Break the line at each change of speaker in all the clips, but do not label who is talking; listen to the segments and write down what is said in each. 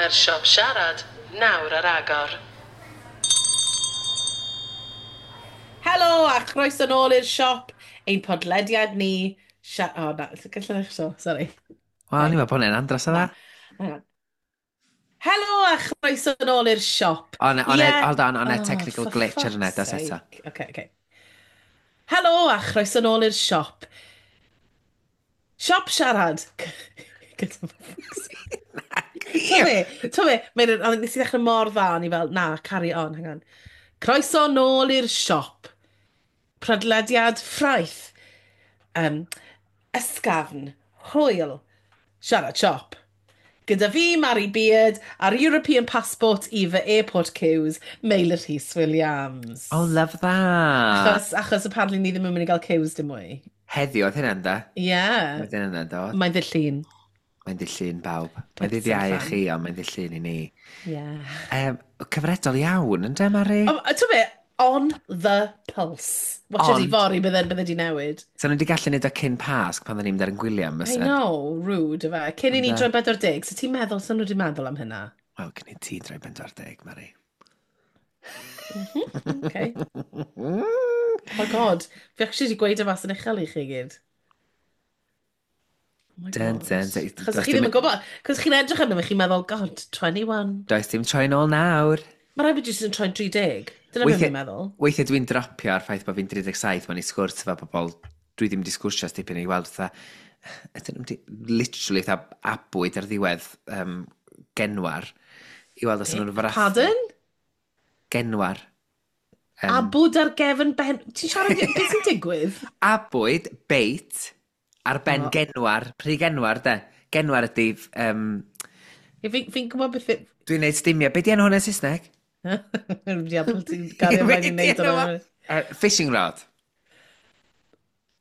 Mae'r siop siarad nawr ar agor.
Helo a chroeso nôl i'r siop, ein podlediad ni. O, na, gallai ddechrau so, sorry.
Wel, o'n i'n meddwl bod hwnna'n andros o dda.
Hang on. Helo a chroeso nôl i'r siop.
On, on, yeah. Hold on, on a technical
Oh, for
glitch ar yna,
fuck's
dos eto.
sake. Okay. Helo a chroeso nôl i'r siop. Siop siarad. Gyda fuck's sake. To fe, to fe, mae'n, ond nes i ddechrau mor dda, o'n i fel, na, carry on, hang on. Croeso nôl i'r siop. Prodlediad ffraeth. Ysgafn, hwyl, siarad siop. Gyda fi, Mary Beard, a'r European Passport i fy airport queues, Meilir Rhys Williams.
Oh, love that.
Achos apparently ni ddim yn mynd i gael queues dim mwy.
Heddiw oedd hynna'n da?
Yeah.
Oedd hynna'n dod.
Mae'n ddydd Llun.
Mae'n ddydd Llun bawb. Mae'n ddydd
Pits
Iau i
allan.
chi, ond mae'n ddydd Llun i ni.
Yeah.
Cyfredol iawn, ynddo, Mari?
Oh, ti'n be, on the pulse. Watch it
Ond-
i fory, bydde di newid.
So nhw wedi gallu neud o cyn Pasg pan dda ni'n mynd ar yn gwyliau,
I
fysen?
know, rude, yfe. Cyn i ni
Ynde?
droi 40, so ti'n meddwl, so nhw wedi meddwl am hynna?
Wel, cyn i ti droi 40, Mari.
Okay. Oh my God, fi actually wedi gweud y mas yn uchel i chi gyd. Oh my
Dun,
God.
dun, dun.
Chos
Does
chi ddim
dim-
yn gwybod, cos chi'n edrych arno fe, chi'n meddwl, God, 21.
Does dim troi nôl nawr.
Mae rhaid bod jyst yn troi'n 30. Dyna beth fi'n meddwl.
Weithiau dwi'n dropio ar ffaith bod fi'n 37 mewn i sgwrs efo bobl dwi ddim wedi sgwrsio ers dipyn i weld fatha, ydyn nhw wedi literally fatha abwyd ar ddiwedd genwar i weld os ydyn nhw'n frathu.
Pardon?
Genwar.
Abwyd ar gefn ben. Ti'n siarad, beth sy'n digwydd?
Abwyd, beit, ar ben
O.
genwar, pryd genwar de. Genwar ydy,
Ie, Fi'n gwybod beth.
Dwi'n neud stumio. Be di enw hwnna yn Saesneg?
Diabl, ti'n gario
Be
ymlaen i
'di
wneud
enw fo?
hwnna.
Fishing rod.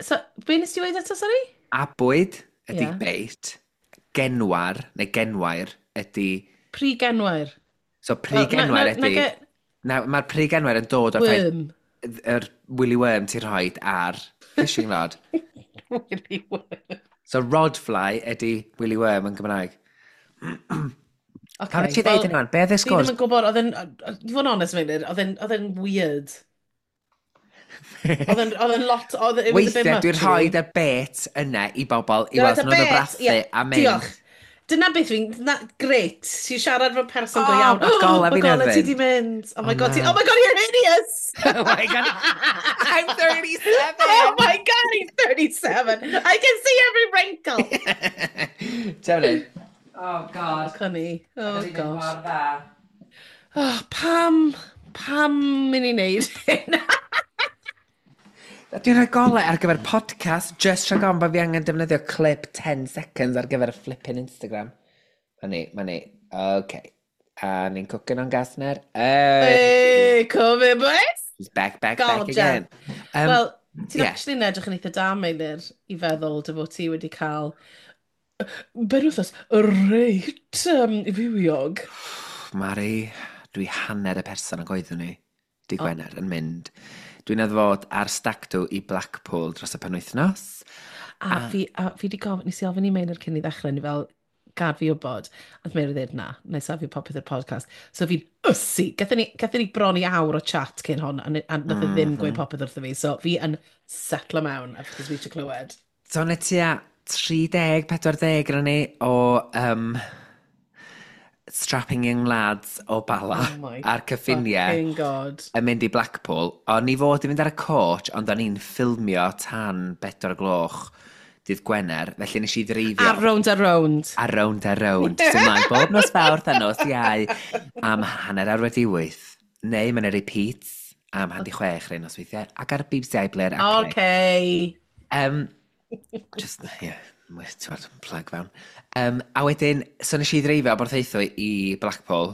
So, be nes ti weud eto, sorry?
Abwyd ydy
Ie.
beit. Genwar, neu genwair, ydy.
Pry genwair.
So pry genwair ydy. Na, mae'r pry genwair yn dod o'r ffaith
Worm.
yr Willy Worm ti'n rhoi ar fishing rod.
Willy worm.
So rodfly ydy Willy Worm yn Gymraeg.
Okay,
Pam ti ddeud hynna? Be oedd y
Fi
sgwrs?
ddim yn gwybod, oedd e'n, i fod yn honest, Meilir, oedd e'n weird. Oedd e'n lot, oedd it was a bit
Weithiau
much.
dwi'n rhoi y bait yna i bobl i
Dwi'n
weld
rhoid y
nhw'n
bait,
brathu
ie,
a mynd.
Diolch. Dyna beth fi'n, na, great. Ti'n siarad fel person go
Oh,
iawn.
ma' golau
Ma'
fi'n
golau ti
erfyn.
di mynd. Oh my
Oh,
God,
na.
oh my God, you're hideous!
Oh my God, I'm 37!
Oh my God, he's 37. I can see every wrinkle.
Ti'n Oh God.
Cynni. Oh gosh.
Mor dda.
Oh, pam mynd i wneud hyn?
Dwi'n rhoi golau ar gyfer podcast, just rhag ofn bod fi angen defnyddio clip 10 seconds ar gyfer y flipping Instagram. Ma ni, ma ni. Okay. A ni'n cooking on gas ner. Hey!
Hey, come in, boys.
She's back, back, back
God,
again.
Wel, ti'n
yeah.
actually yn edrych yn eitha da, Meilir, i feddwl dy fod ti wedi cael benwythnos reit fywiog.
Mari, dwi hanner y person ag oeddwn i, di Gwener, yn mynd. Dwi'n fod ar stag do i Blackpool dros y penwythnos.
A fi di gofyn, nes i ofyn i Meilir cyn i ddechrau, ni fel, gad fi wybod. A Meilir ddweud, na, na i safio popeth i'r podcast. So fi'n ysu. Gathon ni bron i awr o chat cyn hon, a nath e ddim gweud popeth wrtho fi. So fi yn setlo mewn, achos fi eisiau clywed.
So yna tua 30, 40 gyda ni o strapping young lads o Bala
Oh my
a'r cyffiniau
Fucking God.
yn mynd i Blackpool. O'n i fod i fynd ar y coach, ond o'n i'n ffilmio tan 4 gloch dydd Gwener, felly nes i ddreifio.
Ar Rownd a Rownd.
Ar Rownd a Rownd. So mlaen bob nos Fawrth a nos Iau am 8:30. Neu mae'n repeats am 5:30 rhai nosweithiau. Ac ar BBC iPlayer. a Play.
Okay.
Just, yeah, ti'n gwbod, plug fewn. A wedyn, so nes i ddreifio o Borthaethwy i Blackpool,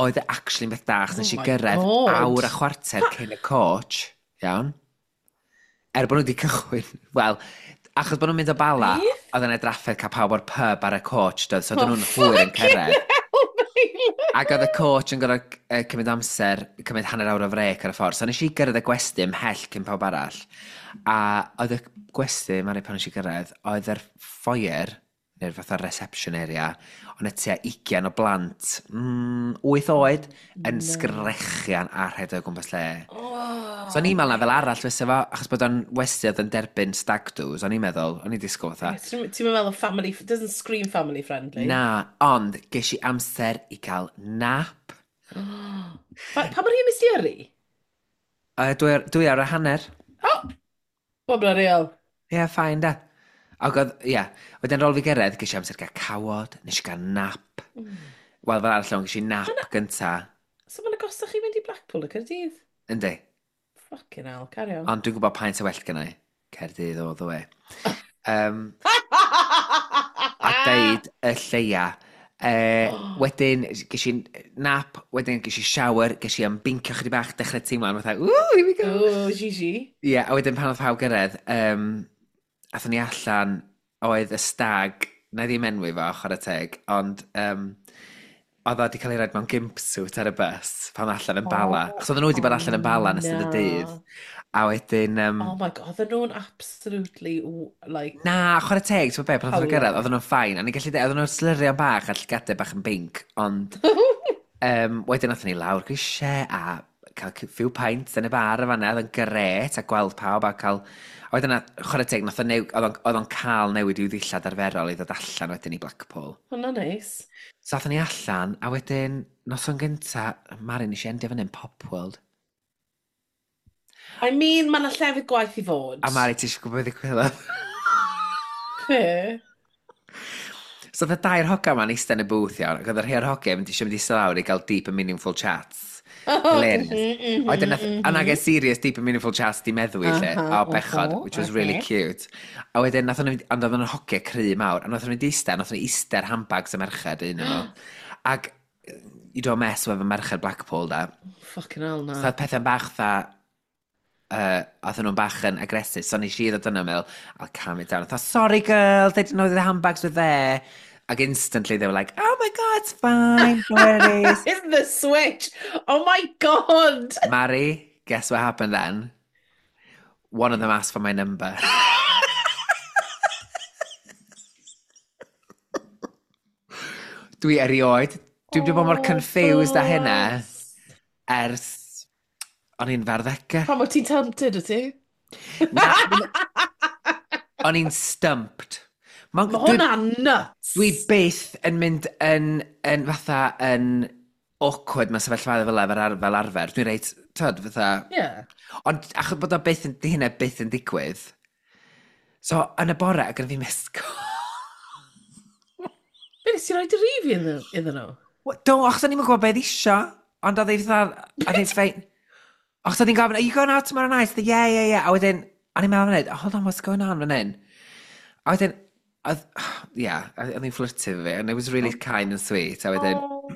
oedd e actually'n beth da, achos nes i
Oh my
gyrraedd
God.
awr a chwarter cyn y coach, iawn. Er bod nhw wedi cychwyn, wel, achos bod nhw'n mynd o Bala, oedd yna drafferth cael pawb o'r pub ar y coach, doedd, so oedden nhw'n hwyr yn cyrraedd. Ac oedd y coach yn gorfod cymryd amser, cymryd hanner awr o frec ar y ffordd. So nes i gyrraedd y gwesty ymhell cyn pawb arall. A oedd y gwesty, Mari, pan nes i gyrraedd, oedd yr foyer, neu'r fatha reception area, ond y tua 20 o blant, 8 oed, yn sgrechian a rhedeg o gwmpas lle.
Oh.
So o'n i'n meddwl na fel arall fysa fo, achos bod o'n westy oedd yn derbyn stag do's, o'n i'n meddwl, o'n i'n disgwyl fatha.
Ti'n meddwl family, doesn't scream family friendly.
Na, ond ges i amser i gael nap.
Pa mor hir nes ti yrru?
2 awr a hanner.
Oh! Well, bloody hell.
Ie, yeah, fine da. Ac oedd, ie, yeah. Wedyn rôl fi gyrraedd, ges i amser gael cawod, nes i gael nap. Wel, fel arall, ges i nap gynta.
So mae'n agosach i fynd i Blackpool y Caerdydd?
Yndi.
Fucking hell, carry on.
Ond dwi'n gwybod paent o well gynna i. Caerdydd all the way. A deud y lleia. Wedyn, ges i nap, wedyn ges i shower, ges i ymbinkio chydig bach, dechrau teimlo'n fatha, "Ooh, here we go."
Oh, Gigi.
Ie, yeah, a wedyn pan oedd pawb gyrraedd, athon ni allan, oedd y stag, na i ddim enwi fo, chwarae teg, ond oedd o wedi cael ei roid mewn gimp suit ar y bus pan allan yn Bala. Achos oedden nhw wedi bod allan yn Bala yn ystod y dydd. A wedyn...
Oh my God, oedden nhw'n absolutely, like.
Na, chwarae teg, ti'n be, pan oedden nhw'n
Howler.
gyrraedd, oedden nhw'n fine. A ni'n gallu dweud, oedden nhw'n slurio'n bach a llygadau bach yn binc, ond wedyn athon ni lawr grisiau a cael few pints yn y bar y fanna, oedd yn gret a gweld pawb a cael. A wedyn, chwarae teg, nath o oedd o'n cael newid i'w ddillad arferol i ddod allan wedyn i Blackpool.
Hwnna neis.
So athon ni allan, a wedyn, noson gynta, Mari, nes i endio fyny yn Pop World.
I mean, mae yna llefydd gwaith i fod.
A Mari, ti eisiau gwybod beth ddigwyddodd?
Be?
So oedd y dair hoga ma'n eistedd yn y booth iawn, ac oedd y rhai o'r hogia mynd eisiau mynd i eistedd lawr i gael deep and meaningful chats. Hilarious. Wedyn nath, a nag e serious deep and meaningful chats di meddwi lle, o bechod, which was really cute. A wedyn nath nhw, ond oedd nhw'n hogia cry mawr, a nath nhw'n mynd i eistedd, nath nhw eistedd ar handbags y merched un o'n nhw. Ac you don't mess with y merched Blackpool, da.
Fucking hell, na.
So oedd pethau'n bach dda, oedd nhw'n bach yn aggressive, so nes i ddod yna meddwl, "I'll calm it down." I thought, "Sorry girl, they didn't know the handbags were there." Ac instantly they were like, "Oh my God, it's fine, no worries."
It's the switch. Oh my God.
Mari, guess what happened then? One of them asked for my number. Dwi erioed. Dwi wedi bod mor
Oh,
confused â hynna
bless.
ers o'n i'n farddegau.
Pam o ti'n tempted, wyt ti?
Na, o'n i'n stumped.
Mae hwnna'n nuts.
Dwi byth yn mynd yn fatha yn awkward mewn sefyllfaoedd fel arfer. Dwi'n reit, tyd, fatha. Ond achos bod o byth yn, di hynna byth yn digwydd. So, yn y bore, ac yn fi missed call.
Be, nes ti roi dy rif iddyn nhw?
Wel, do, achos o'n i'n gwybod beth isio. Ond oedd ei fatha, oedd hi'n fine. Achos oedd hi'n gofyn, "Are you going out tomorrow night?" Yeah. A wedyn, o'n i'n meddwl fan hyn, "Hold on, what's going on fan hyn?" A wedyn, oedd, yeah, oedd hi'n flirtio efo fi, and it was really kind and sweet. A wedyn,
Oh.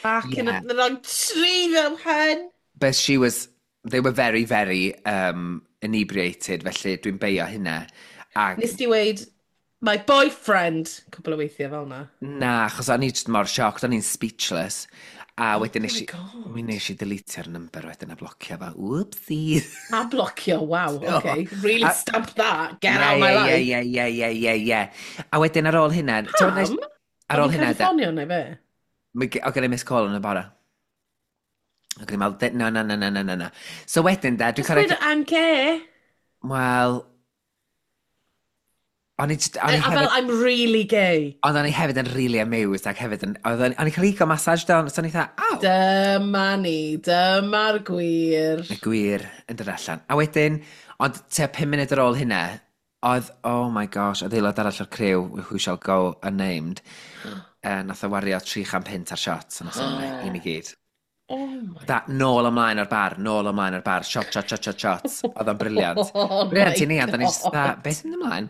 Back in
Yeah.
the wrong tree though, hun.
But she was, they were very, very inebriated, felly dwi'n beio hynna. Ac,
Nes ti weid, "My boyfriend," cwpl o weithiau fel na.
Na, achos o'n i just mor shocked, o'n i'n speechless. A wedyn
Oh
nes
my
i,
God.
mi nes i deletio'r number wedyn a blocio fo. Whoopsie.
A blocio, wow, okay. Really stamp that, get out of my life.
Ie. A wedyn ar ôl hynna...
Pam?
Ar ôl hynna,
Oedd hi'n ffonio neu be?
O gen i missed call yn y bore. Ac o'n i'n meddwl, "No, no, no, no, no, no, no." So wedyn, da, dwi'n
Just gweud,
cyrraedd.
"I'm gay."
Wel, o'n i just, o'n i
A fel,
hefyd,
"I'm really gay."
ond o'n i hefyd yn really amused ac hefyd yn, o'n i'n cael eco massage down, so o'n i fatha, "Aw!"
Dyma ni, dyma'r gwir.
Y gwir yn dod allan. A wedyn, ond tua 5 munud ar ôl hynna, oedd, oh my gosh, oedd aelod arall o'r criw, who shall go unnamed, nath o wario 300 punt ar shots yn noson yna, i ni gyd.
Oh my.
Da, nôl ymlaen o'r bar, nôl ymlaen o'r bar, shot, shot, shot, shot, shots. Oedd o'n brilliant.
Oh
Brilliant i
my
ni, ond o'n i just
God.
dda, "Beth sy'n mynd ymlaen?"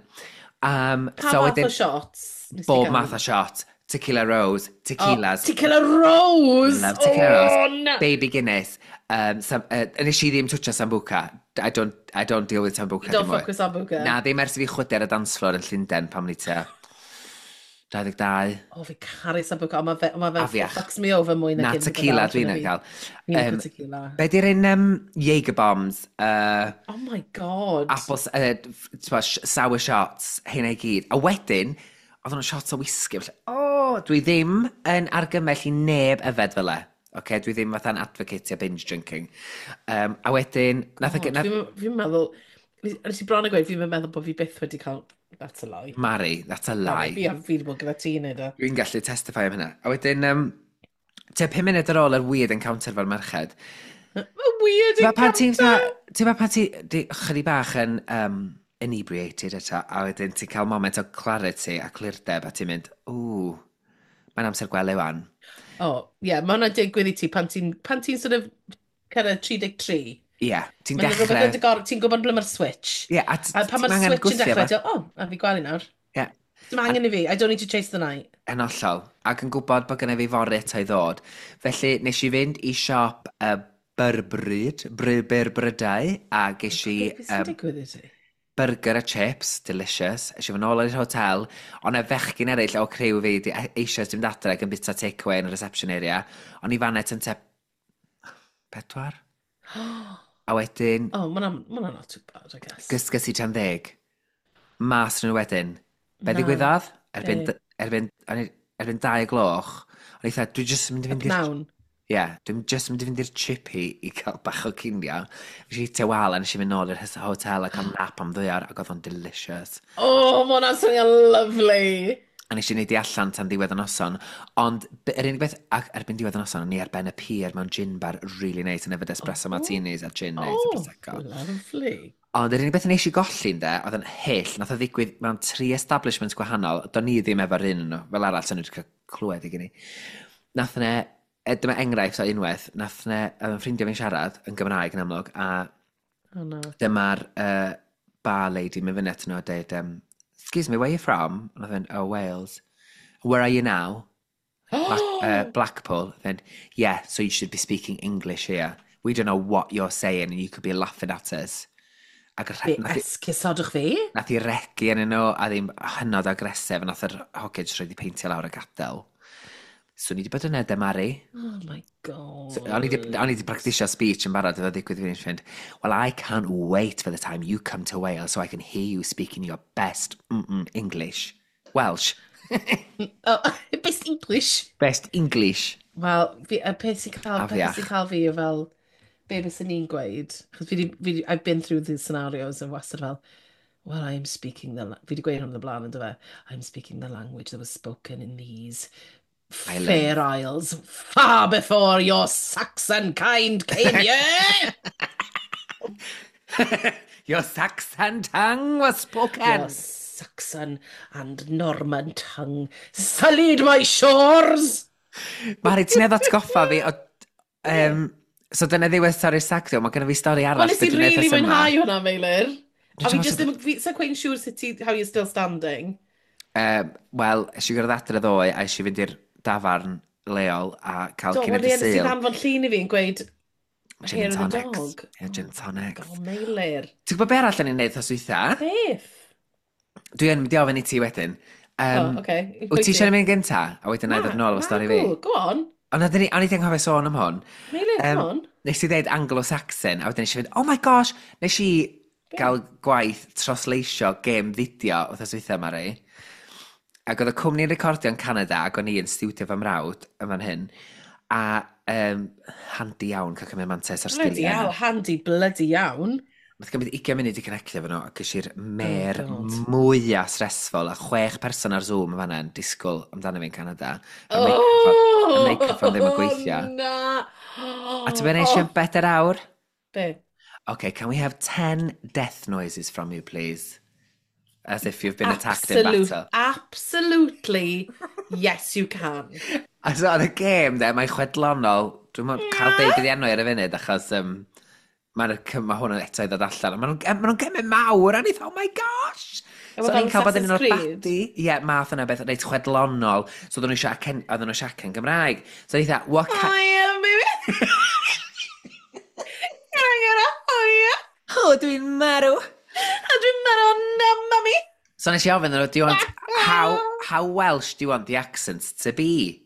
Pa
So
fath
wedyn,
o shots nes ti
bob
gael?
math o shot. Tequila Rose, tequilas.
Oh, Tequila Rose!
Love Tequila Rose.
Oh, no.
Baby Guinness. Nes i ddim twtio Sambuca. I don't deal with Sambuca
You don't
dim mwy.
fuck with Sambuca.
Na, ddim ers i fi chwydu ar y dance floor yn Llundain pan o'n i tua 22.
O, fi caru Sambuca, ond mae fe, ma fe
Afiach.
fucks me over mwy
Na,
na unrhyw beth
tequila
arall
dwi'n
yn y byd.
cael.
Fi'n
Um,
licio tequila.
Be di'r un Jaeger bombs,
Oh my God.
apples, sour shots, hynna i gyd. A wedyn, oedd nhw'n shots o whisky. Felly, o, dwi ddim yn argymell i neb yfed fel e. Okay, dwi ddim fatha'n advocate o binge drinking. A wedyn, nath,
God,
nath
Fi'n meddwl, nes i bron a gweud, fi'n meddwl bod fi byth wedi cael. That's a lie.
Mari, that's a lie.
Fi wedi bod gyda ti yn neud o.
Dwi'n gallu testify am hynna. A wedyn, tua 5 munud ar ôl yr weird encounter fo'r merched.
A weird
Ti'n pan ti'n
encounter!
Ti'n pan ti di chydig bach yn inebriated eto, a wedyn ti'n cael moment o clarity a clirdeb, a ti'n mynd, ww, mae'n amser gwely wan.
O, ie, yeah, mae hwnna'n digwydd i ti pan ti'n sort of cyrraedd 33.
Ie, yeah, ti'n
Mae'n rhywbeth
dechrau.
yn dy gor, ti'n gwybod ble mae'r switch.
Ie, a
A pan mae'r
ti'n angen
switch yn
gwthio
dechrau,
fo.
ti'n, oh, a fi gwely nawr.
Ie,
Dim angen i fi, I don't need to chase the night.
Yn hollol. Ac yn gwybod bod gennym fi fory eto i ddod. Felly, nes i fynd i siop Byrbryd, Brydau, a ges i
Beth sy'n digwydd i ti?
Burger a chips, delicious. Es i fy nôl i'r hotel, ond y fechgyn eraill o criw fi di eisiau dim adre ac yn bita takeaway yn y reception area. O'n i fan yn te 4. A wedyn,
Oh, mae hwnna not too bad, I guess.
Gysges i tan 10. Mas nhw wedyn. Be
Na.
ddigwyddodd? Erbyn,
Be?
erbyn, o'n i- erbyn 2 o gloch, o'n i dda, dwi jyst yn mynd i fynd i'r
Pnawn.
Ie, yeah, dwi'n jyst mynd i fynd i'r chippy i cael bach o cinio. Nes i hitio wal a nes i fynd nôl i'r hotel a cael nap am 2 awr ac oedd o'n delicious.
Oh, mae hwnna'n swnio lovely.
A nes i wneud i allan tan ddiwedd y noson. Ond yr unig beth, ac erbyn diwedd y noson, o'n i ar ben y pier mewn gin bar really nice yn yfed espresso martinis a gin nice a
Oh,
prosecco.
lovely.
Ond yr unig beth nes i golli ynde, oedd yn hyll, nath o ddigwydd mewn tri establishments gwahanol, do'n i ddim efo'r un yn nhw, fel arall, sy'n nhw wedi cael clywed i gyn i. Nath ne, dyma enghraifft o unwaith, nath ne, oedd yn ffrindiau fi'n siarad yn Gymraeg yn amlwg, a
Oh, no.
dyma'r bar lady mynd fyny at nhw a dweud, "Excuse me, where are you from?" And I went, "Oh, Wales." "Where are you now?" "Blackpool." Then, "Yeah, so you should be speaking English here. We don't know what you're saying and you could be laughing at us." Ac
Be
nath
esgusodwch fi?
nath i regi yn nhw a ddim hynod agresif a nath yr hogyn jyst rhoid i peintio lawr a gadael. So ni wedi bod yna, de Mari.
Oh my God.
So, o'n i 'di practisio speech yn barod iddo ddigwydd fi'n fynd, "Well, I can't wait for the time you come to Wales so I can hear you speaking your best English. Welsh."
Oh, best English.
Best English.
Wel, fi, y peth sy'n cael, peth
Afiach.
sy'n cael fi yw fel, be bys ni'n gweud, chos fi di, I've been through these scenarios and wastad fel, well, I'm speaking the, fi di gweud hwn yn y blaen, yn fe, "I'm speaking the language that was spoken in these
Islands.
fair isles far before your Saxon kind came here."
Your Saxon tongue was spoken.
"Your Saxon and Norman tongue sullied my shores."
Mari, ti'n edrych atgoffa fi o... So dyna ddiwedd stori'r stag do, mae gennym fi stori arall
Wel, nes i
be dwi'n neud
really
ers yma.
mwynhau hwnna, Meilir. A fi
Dwi'n
just ddim, fi, so quite siŵr sut ti, how you're still standing.
Wel, es i gyrraedd adre ddoe a es i fynd i'r dafarn leol a cael
Do,
cyn
wel,
y
ie, nes i
Sul.
ddanfon llun i fi yn gweud,
Gin
"Hair
and
of the
tonics.
dog."
Ie, gin and tonics.
Oh, Meilir.
Ti'n gwybod be arall o'n i'n neud thos dwytha?
Beth?
Dwi yn mynd i ofyn i ti wedyn.
Oh, okay.
Wyt ti eisiau mynd gynta? A wedyn na i ddod nôl efo stori fi.
Go on.
Ond o'n i ddim anghofio sôn am hwn.
Meilir, come on.
Nes i ddeud Anglo-Saxon, a wedyn nes i fynd, "Oh my gosh," nes i gael gwaith trosleisio gêm fideo wrth dwytha, Mari. Ac oedd y cwmni'n recordio yn Canada, ac o'n i yn stiwdio fy mrawd yn fan hyn. A handi iawn cael cymryd mantais ar
Bloody
sgiliau.
hell, handy bloody iawn.
Nath gymryd 20 munud i connectio efo nhw, ac ges i'r mer
Oh, God.
mwyaf stressful, a chwech person ar Zoom yn fanna yn disgwyl amdano fi yn Canada. Y
Oh,
microphone ddim yn gweithio.
Na.
A ti'n mynd eisiau 4 awr?
Be?
"Okay, can we have 10 death noises from you, please? As if you've been attacked in battle."
Absolutely, yes you can.
A so oedd y gêm, de, mae'n chwedlonol. Dwi'n yeah, cael deud beth enw ar y funud, achos ma hwn yn eto i ddod allan. Maen nhw'n ma nhw gemau mawr, a ni oh my gosh!
Efo
So o'n i'n
fel
cael bod yn un o'r
Assassin's Creed?
badi. Ie, yeah, math yna beth, reit chwedlonol. So oedden nhw eisiau acen Gymraeg. So o'n i dda, what
Oh yeah, baby. Can I get a oh yeah?
Oh, dwi'n marw!
A dwi'n meddwl, na, mami.
So nes i ofyn nhw, "Do you want, how, How Welsh do you want the accents to be?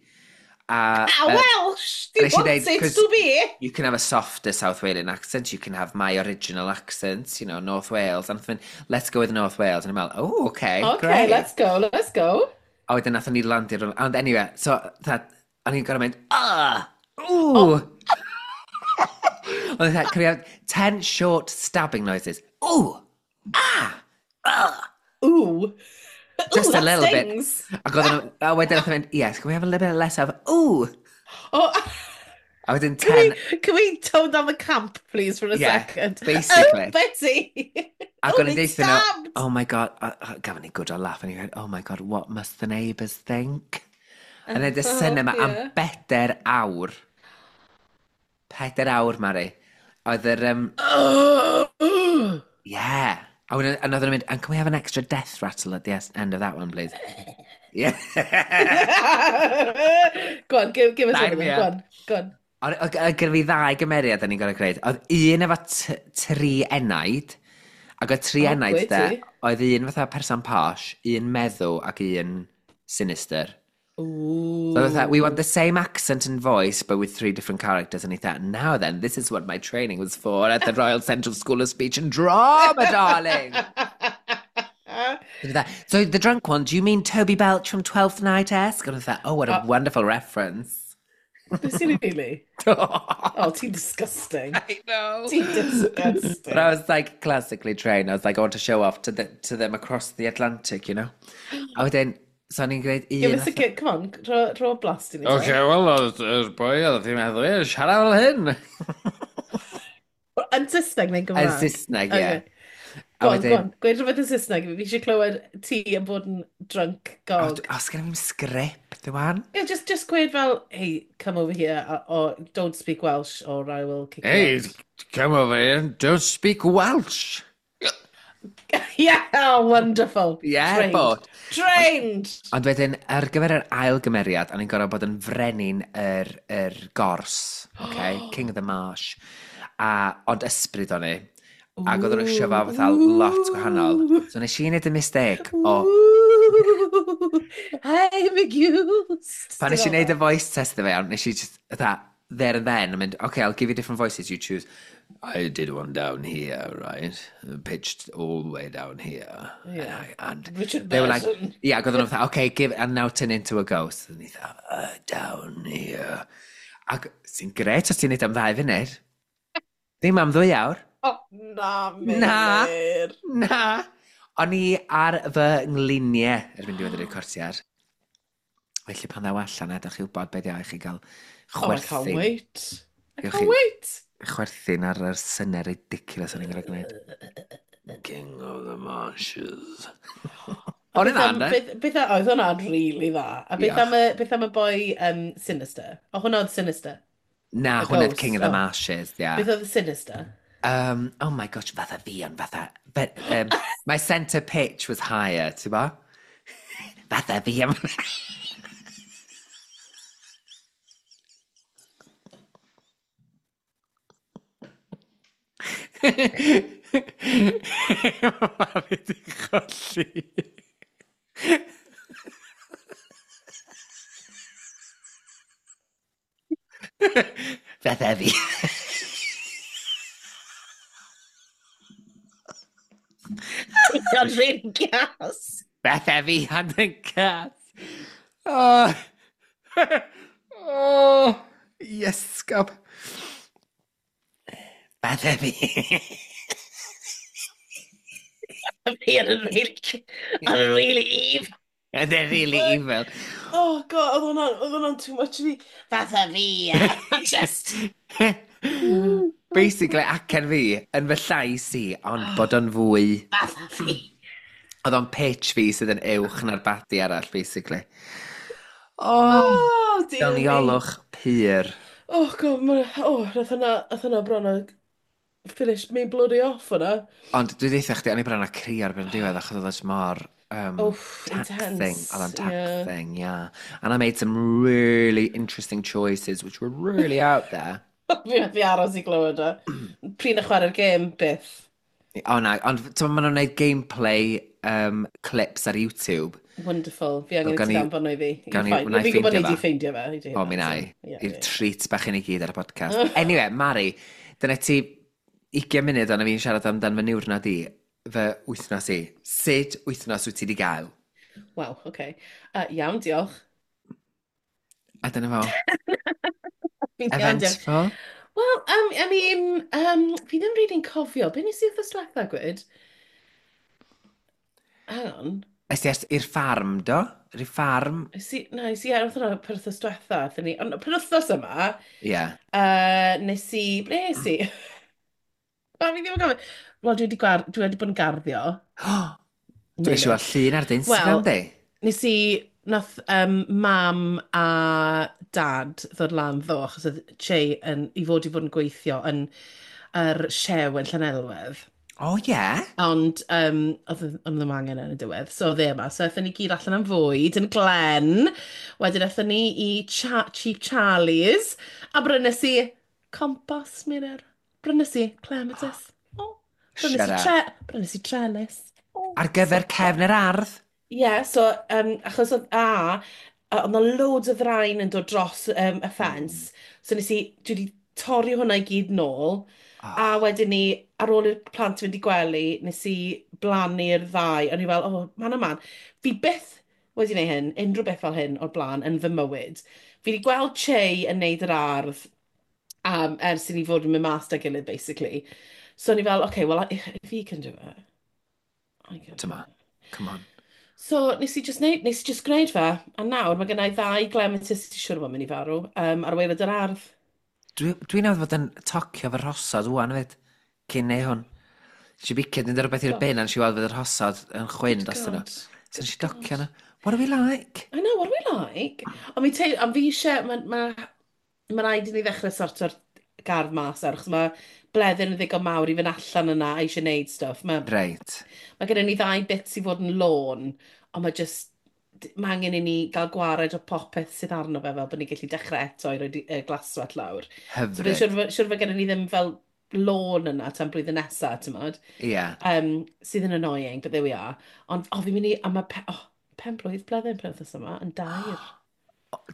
A,
How Welsh do you want it to be?
You can have a softer South Walian accent, you can have my original accent, you know, North Wales. And mynd, let's go with North Wales. And I'm like, oh, okay,
okay,
great.
Let's go, let's go.
A wedyn nathon ni landio, ond anyway, so, that, o'n i'n gorfod mynd, ah, ooh. Oh. Oedd that, can we have 10 short stabbing noises? Ooh, ah, ah.
Ooh.
Just
ooh,
a little
stings.
Bit. Ac oedden nhw, a wedyn nath mynd, yes, can we have a little bit less of, ooh.
Oh.
A wedyn 10...
Can we tone down the camp, please, for a
yeah,
second?
Basically.
Oh, Betty!
Ac
oh,
o'n i'n
they
deutha nhw,
stabbed!
Oh my God, gafon ni good old laugh, and he went, oh my God, what must the neighbours think? A wneud y syniad yma am 4 awr. 4 awr, Mari. Oedd yr... Yeah. A wedyn, and oedden nhw'n mynd, and can we have an extra death rattle at the end of that one, please? Yeah.
Go on, give us one
Sign
of
me
them. Go
up.
on, go on.
Ond oedd gyda fi ddau gymeriad o'n i'n gorfod gwneud. Oedd un efo tri enaid, ac oedd tri
O,
enaid
gwe
de,
ti.
Oedd un fatha person posh, un meddw ac un sinister.
Ooh.
So fatha, we want the same accent and voice, but with three different characters. And he thought, now then, this is what my training was for at the Royal Central School of Speech and Drama, darling. So the drunk one, do you mean Toby Belch from Twelfth Night-esque? And I thought, oh, what a wonderful reference.
Beth sy'n really? Oh, ti'n disgusting.
I know.
Ti'n disgusting.
But I was like classically trained. I was like, I want to show off to them across the Atlantic, you know. A wedyn, so o'n i'n gwneud un...
Give us a come on, rho blast i ni.
Okay, well, oedd yr boi oedd ti'n meddwl, ie, siarad fel hyn.
Yn Saesneg neu'n
Yn
Gymraeg?
Saesneg, ie.
Okay.
A
Go on,
wedyn-
go on. Gweud rhywbeth yn Saesneg. Fi eisiau clywed ti yn bod yn drunk gog.
O, os gen i'n sgript, rwan?
Yeah, just gweud fel, hey, come over here, or don't speak Welsh, or I will kick
Hey,
you out.
Come over here and don't speak Welsh.
Yeah, oh, wonderful.
Yeah,
Trained.
but-
Trained!
Ond wedyn, ar gyfer yr ail gymeriad, o'n i'n gorfod bod yn frenin yr gors, okay? King of the Marsh. A, ond ysbryd o'n i. Ac oedden nhw eisiau fo fatha lot gwahanol. So nes i wneud y mistake o...
Ooh, I'm a ghost.
Pan nes i wneud y voice test iddo fe, iawn, nes i just, fatha, there and then, yn mynd, okay, I'll give you different voices, you choose. I did one down here, right? Pitched all the way down here.
Yeah.
And
Richard
they were like,
Burton.
yeah, ac oedden nhw fatha, okay, give, and now turn into a ghost. And he thought, down here. Ac sy'n gret os ti'n neud am 2 funud. Ddim am 2 awr.
Oh, na,
Na.
Meilir.
Na. O'n i ar fy ngliniau erbyn diwedd y recordiad. Felly pan ddaw allan, adael chi wybod beth i chi gael
Oh, I can't
chwerthin.
wait. I
Gewch
can't
chi-
wait.
Chwerthin ar yr syniad ridiculous o'n i'n gorfod gwneud. King of the Marshes. O'n i'n dda, ynddo?
Beth oedd hwnna'n really dda. A beth
Diolch.
am y boi Sinister? O, hwnna oedd Sinister.
Na,
Y
hwnna oedd
ghost,
King of the
oh.
Marshes, yeah.
Beth oedd y Sinister?
Oh my gosh, fatha fi ond fatha... But, my centre pitch was higher, ti'n bo? Fatha fi am... Mari di cholli. Fatha fi.
O'n really gas.
Fatha fi ond yn gas. Oh. Oh. Iesgob. Fatha fi.
Fi yn really, yn really evil.
And they're really evil.
Oh God, oedd hwnna'n too much i fi. Fatha fi, just...
Basically, acen fi yn fy llais i, ond bod o'n fwy...
Fatha fi.
Oedd o'n pitch fi sydd yn uwch na'r baddie arall, basically. Oh,
Oh, dear me.
doniolwch pur.
Oh God, ma, oh, nath hwnna bron a finish me bloody off hwnna.
Ond dwi ddeutha chdi, o'n i bron a crio ar ben diwedd, achos oedd o jyst mor
Oof,
taxing.
Intense.
Oedd o'n
Yeah.
taxing, yeah. And I made some really interesting choices, which were really out there.
Fi methu aros i glywed o. Pryd na chwarae'r gêm, byth.
O na, ond ti'n maen nhw'n gwneud gameplay clips ar YouTube.
Wonderful. Fi angen i ti danfon nhw i fi.
Gawn ni, wna
i ffeindio fe. Fi'n ffeindio
fe. O, mi na i. I'r treat bach i ni gyd ar y podcast. Anyway, Mari, dyna ti 20 munud ond fi'n siarad amdan fy niwrnod i, fy wythnos i. Sut wythnos wyt ti wedi gael?
Waw, oce. Okay. Iawn, diolch.
A dyna fo. Eventful.
Wel, I mean, fi ddim really'n cofio. Be nes i wythnos diwetha, gwyd? Hang on.
Es ti i'r ffarm, do? I'r ffarm?
Es i, na, es i ar wrth per wythnos diwetha. Ond per wythnos yma,
Ie. Yeah.
Nes i, ble es i? O, fi ddim yn gofio. Wel, dwi wedi bod yn garddio.
Dwi eisiau gweld llun ar dy Instagram, di?
Nes i, nath mam a dad ddod lan ddo, achos oedd Che yn, i fod yn gweithio yn yr siew yn Llanelwedd.
O, oh, ie. Yeah.
Ond oedd ddim angen yn y diwedd, so oedd e yma. So aethon ni gyd allan am fwyd yn Glen. Wedyn aethon ni i Cheap Charlie's. A brynes i compost, Meilir. Brynes i clematis. Oh, brynes i trellis.
Oh, ar gyfer cefn yr ardd?
Ie, yeah, so achos oedd oedd 'na loads o ddrain yn dod dros y ffens. So dwi wedi torri hwnna i gyd nôl. Oh. A wedyn ni, ar ôl i'r plant fynd i gwely, nes i blannu'r ddau. O'n i fel, oh, man o man. Fi byth wedi gwneud hyn, unrhyw beth fel hyn o'r blaen yn fy mywyd. Fi wedi gweld Che yn neud yr ardd ers i ni fod yn mynd mas 'da gilydd, basically. So o'n i fel, okay, well, if he can do it, I can do
it. Come on.
So nes i just gwneud fe, a nawr mae gen i ddau clematis sy'n siŵr o fod yn mynd i farw ar waelod yr ardd.
Dwi'n meddwl fod yn tocio fy rhosod wwan fyd, cyn neu hwn. Nes i bicio, dwi'n dod rhywbeth i'r bin, a nes i weld fod yr rhosod yn chwyn dros nhw. So nes i docio nhw. What are we like?
I know, what are we like? Ond fi eisiau, mae ma, ma rhaid i ni ddechrau sorto'r gardd mas ar, achos mae bleddyn yn ddigon mawr i fynd allan yna a eisiau neud stuff. Mae,
Reit.
Mae gennym ni ddau bit i fod yn lôn, ond mae just, mae angen i ni gael gwared o popeth sydd arno fe fel bod ni'n gallu dechrau eto i roi glaswellt lawr.
Hyfryd.
So, siwr fod gennym ni ddim fel lôn yna tan blwyddyn nesaf, ti'n modd?
Ie. Yeah.
Sydd yn annoying, but there we are. Ond, oh, fi'n mynd i, a mae, oh, pen blwydd bleddyn pen wythnos yma, yn 3.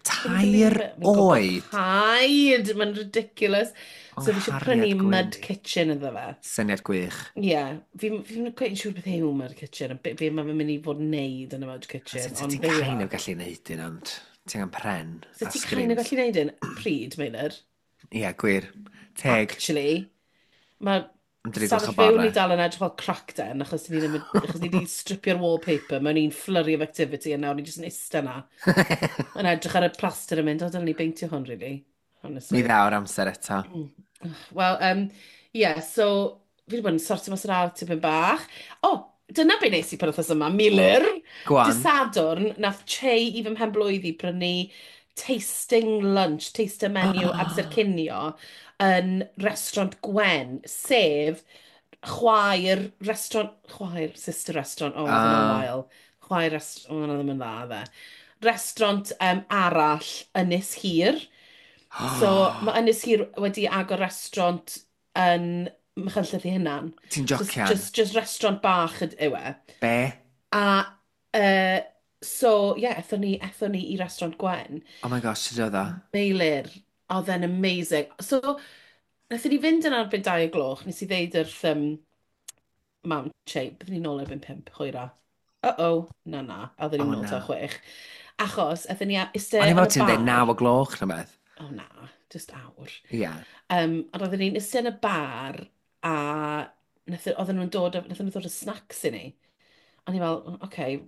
3 oed?
Paid! Mae'n ridiculous. So fi eisiau prynu mud kitchen iddo fe.
Syniad gwych.
Ie. Yeah. Fi'n quite yn siŵr beth yw mud kitchen, a be mae'n mynd i fod yn neud yn y mud kitchen.
So ti'n kind of gallu neud un, ond ti'n gan pren
So ti'n kind of gallu neud un? Pryd, Meilir?
Ie, yeah, gwir. Teg.
Actually, mae stafell fyw ni dal yn edrych fel crack den, achos ni ddim, achos ni wedi stripio'r wallpaper mewn un flurry of activity, a nawr ni jyst yn ista na. Yn edrych ar y plaster yn mynd, o, dylen ni beintio hwn, really. Honestly.
Mi ddaw'r amser eto.
Wel, yeah, so, fi wedi bod yn sortio mas yr ardd tipyn bach. O, oh, dyna be nes i pan wythnos yma, Meilir.
Go on.
Dydd Sadwrn, nath Che i fy mhenblwydd i brynu tasting lunch, taster menu amser cinio yn restaurant Gwen, sef chwaer restaurant, chwaer, sister restaurant, oh, oedd hwnna'n wael. Chwaer restaurant, oh, hwnna ddim yn dda, dde. Restaurant arall, Ynys Hir. So, mae Ynys Hir wedi agor restaurant yn Machynlleth ei hunan.
Ti'n jocian?
Just restaurant bach yw e.
Be?
A, so, yeah, ethon ni i restaurant Gwen.
Oh my gosh, sut oedd o?
Meilir, oedd e'n amazing. So, nathon ni fynd yn erbyn 2 o gloch, nes i ddeud wrth mam, Che, byddwn ni nôl erbyn 5, hwyra. Uh-oh, na, oedden ni'n nôl ta 6. Achos, aethon ni iste
yn y bar. O'n i'n meddwl ti'n dweud 9 o gloch na beth.
O na, just awr.
Ie. Yeah.
Ond oedden ni'n iste yn y bar, a oedden nhw'n dod, nathon nhw ddod o snacks i ni. A ni fel, oce, okay,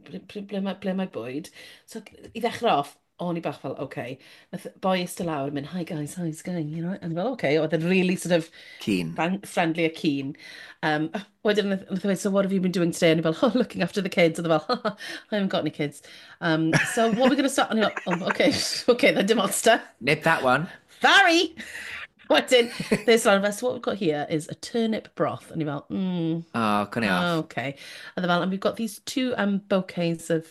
ble mae bwyd? So, i ddechrau off, o'n i bach fel, oce. Okay. Nath boi eistedd lawr yn mynd, hi guys, how's it going? You know? A ni fel, oce, okay. Oedd e'n really sort of
keen.
Friendly a keen. Wedyn nath e weud, so what have you been doing today? A ni fel, oh, looking after the kids. Oedd e fel, I haven't got any kids. So what are we going to start? A ni fel, oh, okay, okay, then dim monster.
Nip that one.
Sorry! Wedyn, this one, so what we've got here is a turnip broth. And you're fel,
Oh, cwn i off.
Okay. And they're fel, and we've got these two bouquets of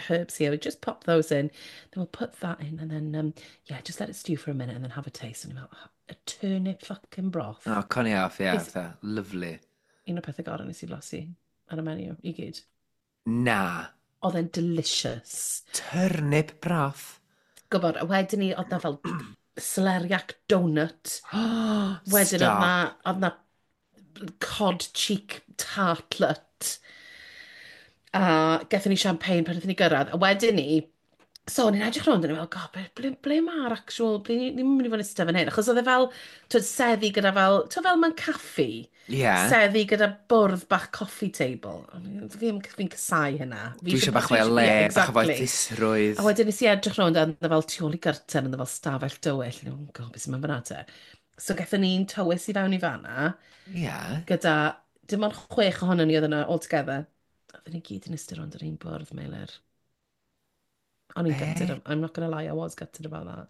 herbs here. We just pop those in. Then we'll put that in and then, yeah, just let it stew for a minute and then have a taste. And you're fel, oh, a turnip fucking broth.
Oh, cwn i off, yeah. Lovely.
Un o'r pethau gorau nes i blasu ar y menu, i gyd.
Na.
Oedd e'n delicious.
Turnip broth.
Gwybod, a wedyn ni, oedd na fel celeriac donut. Wedyn oedd na cod cheek tartlet. A gethon ni champagne pan wnaethon ni gyrraedd. A wedyn ni, so o'n i'n edrych rownd, o'n i'n meddwl, "God, ble mae'r actual, ble ni'n mynd i fod yn eistedd fan hyn?" Achos oedd e fel, twyd, seddi gyda fel, twyd fel mewn caffi. Seddi gyda bwrdd bach coffee table. Fi'n casáu hynna.
Fi Dwi eisiau bach fwy o le, bach o fwy ddisrwydd.
A wedyn nes i edrych rownd a oedd fel tu ôl i gyrten, oedd fel stafell dywyll. And oh God, beth sy'n mynd fyna te? So gaethon ni'n tywys i fewn i fanna. Gyda dim ond chwech ohonon ni oedd yna all together. Oedden ni gyd yn eistedd rownd yr un bwrdd, Meilir. O'n i'n gutted, I'm not gonna lie, I was gutted about that.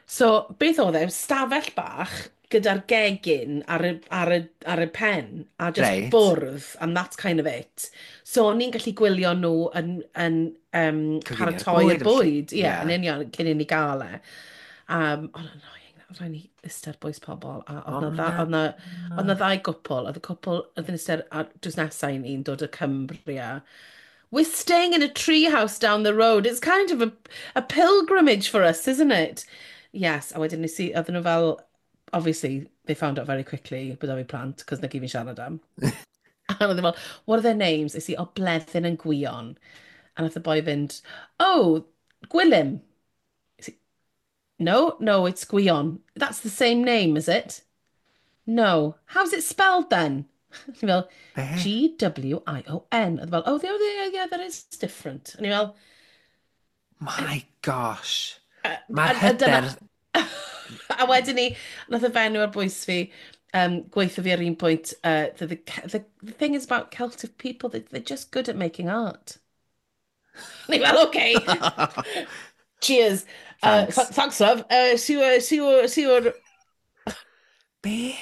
So, beth oedd e? Stafell bach gyda'r gegin ar y pen, a just bwrdd, and that's kind of it. So, o'n i'n gallu gwylio nhw yn
coginio'r
paratoi'r
bwyd a
bwyd, ie,
yeah.
Yn union, cyn i ni gael e. Ond annoying, oedd rhaid ni eistedd ar bwys pobl, a oedd na, oedd na ddau gwpl, oedd y cwpl oedd yn eistedd ar drws nesau i ni'n dod o Cumbria. "We're staying in a tree house down the road. It's kind of a pilgrimage for us, isn't it?" Yes, a wedyn nes i, oedden nhw fel, obviously, they found out very quickly bod fi plant, cos na gyd fi'n siarad am. A oedd fel, "What are their names?" Nes i, "O, Bleddyn and Gwion." A nath y boi fynd, "Oh, Gwilym." Nes i, No, it's Gwion." "That's the same name, is it?" "No." "How's it spelled then?" Ni fel,
Be?
"Gwion." Oedd fel, "Oh, yeah, that is different." A ni fel,
My gosh. Mae'r hyder.
A wedyn ni, nath y fenyw ar bwys fi, gweithio fi ar un pwynt, the thing is about Celtic people, they're just good at making art." Ni fel, "Okay. Cheers.
Thanks.
Thanks, love. See you."
Be?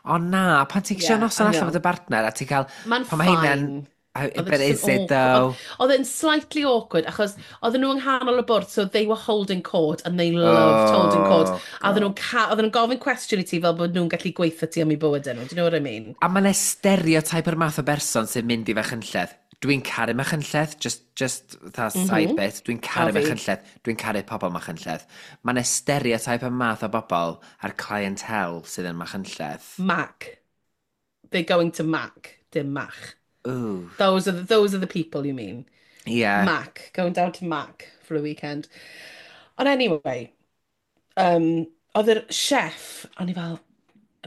O na, pan ti'n yeah,
Yeah,
noson
I
allan
know.
fod y bartner a ti'n cael
Mae'n
Pan mae hynna'n
fine. Oedd e
But
jyst
is
yn
it
awkward.
though?
Oedd e'n slightly awkward, achos oedden nhw yng nghanol y bwrdd, so they were holding court, and they loved holding court. A oedden nhw'n gofyn cwestiwn i ti fel bod nhw'n gallu gweithio ti am eu bywydau nhw. Do you know what I mean?
A mae'n stereotype o'r math o berson sy'n mynd i Fachynlleth. Dwi'n caru Machynlleth, just that side bit. Dwi'n caru
A fi.
Machynlleth, dwi'n caru pobl Machynlleth. Mae'n stereotype y math o bobl a'r clientele sydd yn Machynlleth.
Mac. They're going to Mac, dim Mach.
Ooh.
Those are the people you mean.
Yeah.
Mac, going down to Mac for a weekend. Ond anyway, oedd yr chef, o'n i fel,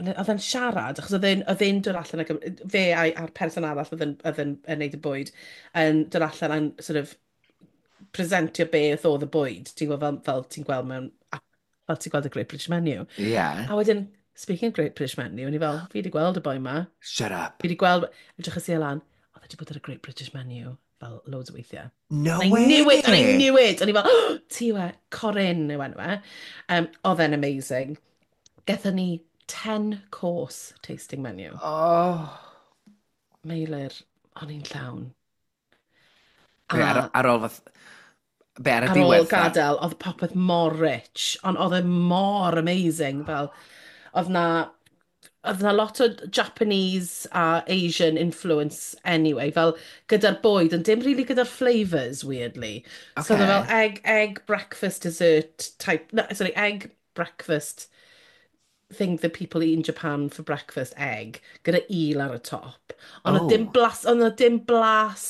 oedd e'n siarad, achos oedd e'n dod allan, ac, fe a'r person arall oedd yn neud y bwyd, yn dod allan a'n sort of presentio beth oedd y bwyd, ti'n gweld fel ti'n gweld mewn, fel ti'n gweld y Great British Menu. A wedyn, speaking of Great British Menu, o'n i fel, "Fi wedi gweld y boi ma."
Shut up.
Fi wedi gweld, edrych i lan, oedd e wedi bod ar y Great British Menu fel loads o weithiau.
No
And I
way!
knew it, and I knew it. O'n i fel, "Oh, ti yw e, Corinne yw enw e." Oedd e'n amazing. Gethon ni 10 course tasting menu.
Oh.
Meilir, o'n i'n llawn.
Be, ar ôl fath... Be, ar y
Ar ôl
diwedd?
Gadael, oedd popeth mor rich, ond oedd e mor amazing. Fel, oedd na lot o Japanese a Asian influence anyway, fel gyda'r bwyd, ond dim really gyda'r flavours, weirdly. So oedd e fel egg breakfast dessert type, no, sorry, egg breakfast thing that people eat in Japan for breakfast, egg, gyda eel ar y top. Ond oedd dim blas, ond oedd dim blas,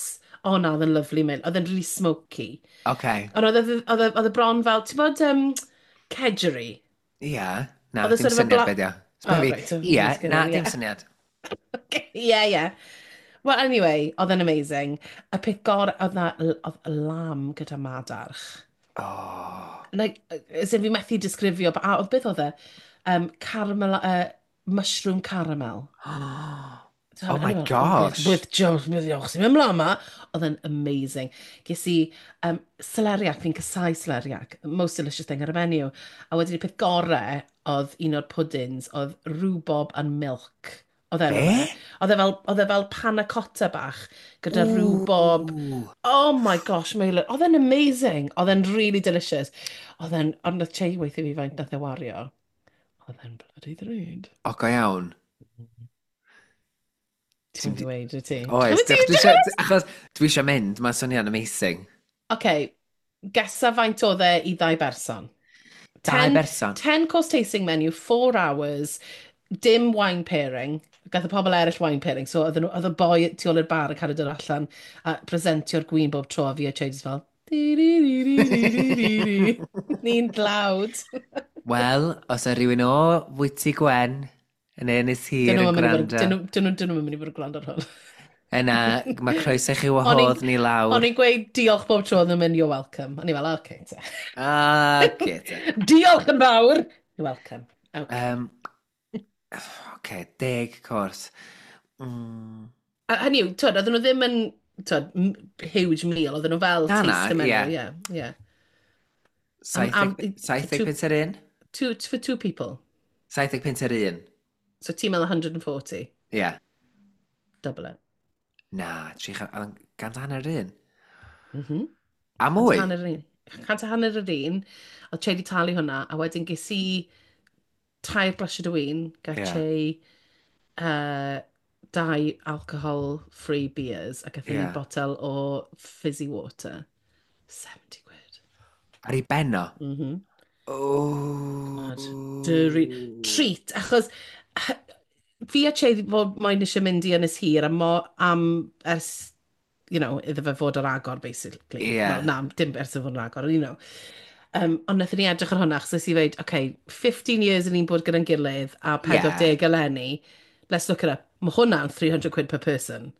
oh na, oedd yn lovely, man. Oedd e'n really smoky. Ond oedd e bron fel, ti'n bod kedgeree?
Ie. Na,
Oedd e
dim
sort of a
syniad beth yw.
Oh, right, so
Ie,
let's get
na,
on,
dim
yeah.
syniad.
Yeah. Well, anyway, oedd e'n amazing. Y peth gorau, oedd lamb gyda madarch.
Oh.
Like, as in fi methu disgrifio, a oedd beth oedd e? Caramel, mushroom caramel.
Oh my gosh.
With Jones, with sy'n mynd mlaen ma. Oedd e'n amazing. Ges i celeriac, fi'n casáu celeriac. Most delicious thing ar y menu. A wedyn y peth gorau oedd un o'r puddings, oedd rhubarb and milk. Oedd e,
Be?
oedd e fel panna cotta bach gyda rhubarb. Oh my gosh, Meilir. Oedd e'n amazing. Oedd e'n really delicious. Oedd e'n, ond nath Che weithio fi faint nath e wario. Oedd e'n bloody ddrud.
O, go iawn.
Ti'n mynd i weud, wyt ti?
Oes, achos dwi eisiau mynd, mae'n swnio'n amazing.
Oce, gesa faint oedd e i ddau berson?
Dau berson?
10 course tasting menu, 4 hours, dim wine pairing. Gath y pobl eraill wine pairing, so oedd y boi tu ôl i'r bar yn cael ei dod allan a presentio'r gwin bob tro a fi a Che just fel, Ni'n dlawd.
Wel, os yw rhywun o Fwyty Gwen yn Ynys Hir yn gwrando.
Dyn nhw'n mynd i fod yn gwrando ar hwn.
Yna, mae croeso chi wahodd ni lawr.
O'n i'n gweud diolch bob tro, oedd nhw'n mynd, "You're welcome." O'n i fel, "Okay, te."
Okay, te.
Diolch yn fawr! You're welcome. Okay.
Okay, 10 cwrs.
A hynny yw, twyd, oedden nhw ddim yn, twyd, huge meal, oedden nhw fel taste menu. Yeah.
70 punt yr un?
For two people.
70 punt yr un.
So ti'n meddwl 140?
Ie. Yeah.
Double it.
Na, 350 un. A mwy?
150 un. 150 yr un. Oedd Che di talu hwnna, a wedyn ges i tair glasiad o win, gael Che dau alcohol-free beers, ac aethon ni botel o fizzy water. 70 quid.
Ar ei ben o?
Mm -hmm.
Oh.
Treat, achos fi a Che fod moyn eisiau mynd i Ynys Hir am, am ers, iddo fe fod ar agor, basically. Well, na, dim ers iddo fod ar agor. Ond wnaethon ni edrych ar hwnna, achos nes i ddweud, okay, 15 years yn ni'n bod gyda'n gilydd a 40 eleni, let's look it up. Mae hwnna'n 300 quid per person.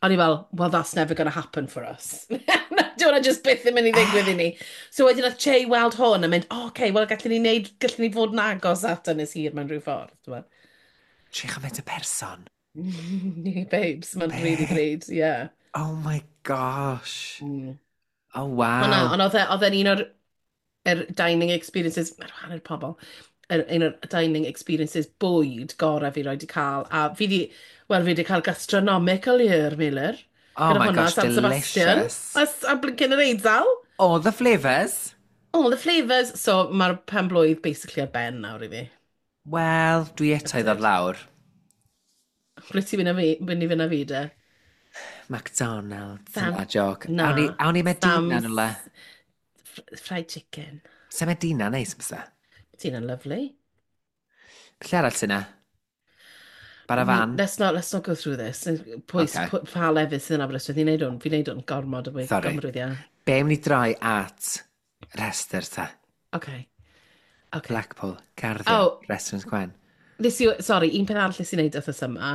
O'n i fel, "Well, that's never going to happen for us." Di hwnna just byth yn mynd i ddigwydd i ni. So wedyn nath Che weld hwn a mynd, "Oh, okay, well, gallwn ni wneud, gallwn ni fod yn agos at Ynys Hir mewn rhyw ffordd." Ti'n
300 y person?
Babes, mae'n really great, yeah.
Oh my gosh. Oh, wow.
Ond oedd e'n un o'r er dining experiences, mae'r hanner pobl, un o'r dining experiences bwyd gorau fi roed i cael. A fi di, wel, fi di cael gastronomical year, Meilir.
Oh my gosh, San delicious.
A, a blincyn yr Eidal.
All the flavours.
All the flavours. So mae'r pen blwydd basically ar ben nawr i fi.
Wel, dwi eto i ddod lawr.
Ble ti'n mynd, mynd i fynd â fi de?
McDonald's. Sam, na, joke. Na. Awn ni Medina yn le.
Fried chicken.
Se Medina neis, bysa?
Medina'n lovely.
Lle arall sy'n na? Bar a Van?
Let's not go through this. Pwy, okay. Pa lefydd sydd yn Aberystwyth? Ni'n neud hwn, fi'n neud hwn gormod o
Sorry.
Gormod weithiau.
Be am ni droi at rhestr ta?
Okay.
Blackpool, Garddio, oh, Restaurant Gwen.
Nes i, sorry, un peth arall nes i wneud wythnos yma,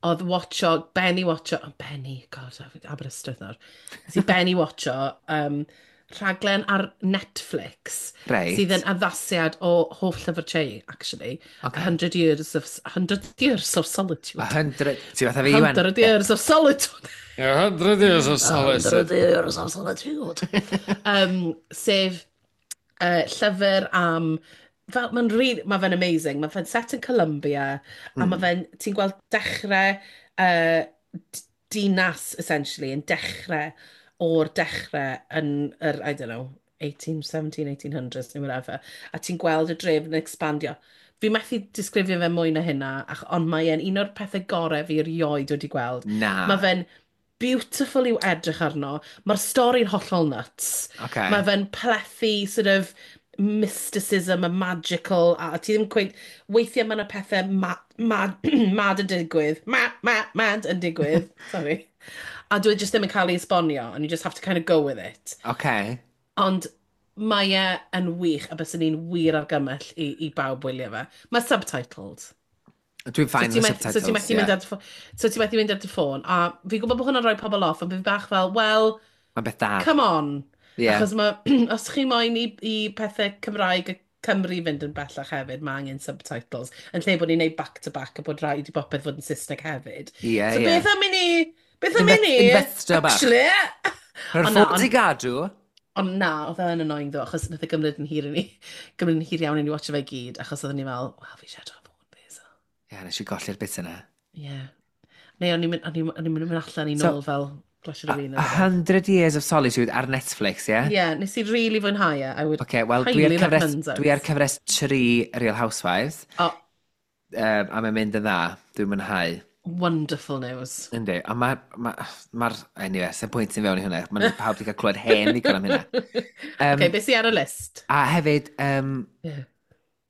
oedd watcho, Benny watcho, oh, Benny, God, Aberystwyth nawr. Nes i Benny watcho rhaglen ar Netflix sydd yn addasiad o hoff llyfr Che, actually. 100 Years of Solitude.
100. Ti fatha fi, Iwan?
100 Years of Solitude.
100 Years of Solitude.
100 Years of Solitude. Sef llyfr am fel, mae'n really, mae fe'n amazing. Mae fe'n set yn Colombia, a mae fe'n, ti'n gweld dechrau dinas, essentially, yn dechrau o'r dechrau yn yr, I don't know, 18, 17, 1800s neu whatever. A ti'n gweld y dref yn expandio. Fi methu disgrifio fe mwy na hynna, ond mae e'n un o'r pethau gorau fi erioed wedi gweld.
Na.
Mae fe'n beautiful i'w edrych arno. Mae'r stori'n hollol nuts. Mae fe'n plethu sort of mysticism a magical, a ti ddim cweith. Weithiau mae yna pethau mad, mad yn digwydd. Mad yn digwydd. Sorry. A dwi just ddim yn cael ei esbonio, and you just have to kind of go with it. Ond mae e yn wych, a byswn ni'n wir argymell i bawb wylio fe. Mae subtitled.
Dwi'n fine
so
with subtitles,
so ti'n methu mynd ar dy so ti'n methu mynd ar dy ffôn. A fi'n gwybod bod hwnna'n rhoi pobl off, ond fi bach fel, well,
Mae'n beth da.
Come on.
Yeah.
Achos mae, os chi moyn i pethau Cymraeg a Cymru fynd yn bellach hefyd, mae angen subtitles. Yn lle bod ni'n neud back to back a bod rhaid i bopeth fod yn Saesneg hefyd.
Yeah,
so beth am i ni? Beth am i ni?
Investo bach.
Actually.
Rhoi'r ffôn i gadw.
Ond na, oedd e'n annoying ddo, achos nath e gymryd yn hir i ni, gymryd yn hir iawn i ni watcho fe i gyd, achos oedden ni fel, "Wel, fi eisiau edrych ar ffôn fi," so.
Ie, yeah, nes i golli'r bit yna.
Ie. Yeah. Neu o'n i'n mynd allan i nôl fel glasiad o win.
A 100 Years of Solitude ar Netflix, ie?
Yeah? Yeah, nes i really fwynhau e. I would
Okay, wel, dwi ar cyfres, dwi ar cyfres 3 Real Housewives.
Oh.
A mae'n mynd yn dda, dwi'n mwynhau.
Wonderful news.
Yndi, a mae'r... Ma, ma anyway, sy'n pwynt sy'n fewn i hwnna. Mae'n pawb wedi cael clywed hen ddigon am hynna.
Okay, beth sy'n ar y list?
A hefyd,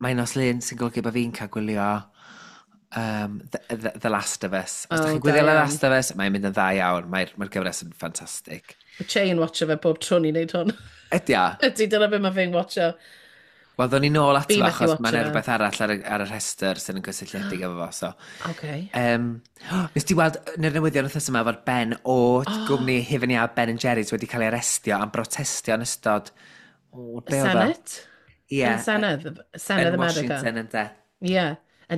mae nos Lun sy'n golygu bod fi'n cael gwylio The Last of Us. Os, oh, da chi'n gwylio The Last of Us, mae'n mynd yn dda iawn. Mae'r gyfres yn ffantastig.
Mae Che yn watcho fe bob tro ni'n neud hwn.
Ydy o?
Ydy, dyna be mae fe'n watcho.
Wel, ddo'n ni nôl ato fo, achos mae'n rhywbeth arall ar y rhestr sy'n yn gysylltiedig efo fo. So.
Okay.
Nes ti weld yn yr newyddion wythnos yma fod Ben o gwmni Hufen Iâ Ben Jerry's wedi cael ei arestio am brotestio yn ystod...
O, be oedd o? Senate?
Ie.
Yn Senedd, Senedd
Yn
America.
Washington, ynde.
Ie,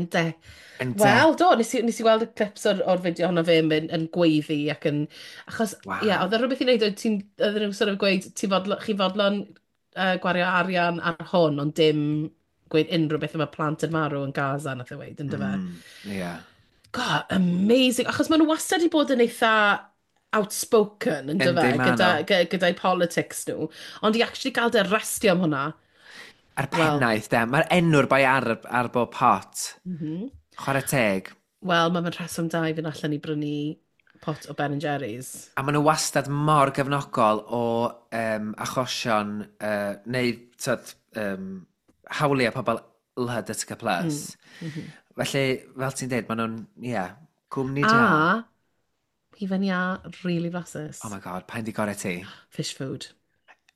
ynde.
Ynde.
Wel, do, nes i weld y clips o'r fideo honno fe yn gweiddi ac yn... Achos,
Waw.
ie, oedd e rhywbeth i wneud, oedd oedden nhw'n sort of gweud, chi fodlon gwario arian ar hwn, ond dim gweud unrhyw beth am y plant yn marw yn Gaza, nath e weud, yndyfe?
Ie.
God, amazing. Achos maen nhw wastad i bod yn eitha outspoken, yndyfe,
Yndi, ma' nhw.
gyda'i politics nhw. Ond i actually gael dy arestio am hwnna.
A'r
Wel.
pennaeth, de. Mae'r enw'r bai ar bob pot. Chwarae teg.
Wel, mae fe'n rheswm da i fynd allan i brynu pot o Ben Jerry's.
A maen nhw wastad mor gefnogol o achosion, neu tyd, hawliau pobl LHDTC+. Felly, fel ti'n dweud, maen nhw'n, ie, yeah, gwmni da.
A, hufen iâ, really flasus.
Oh my God, pa'n di gorau ti?
Fish food.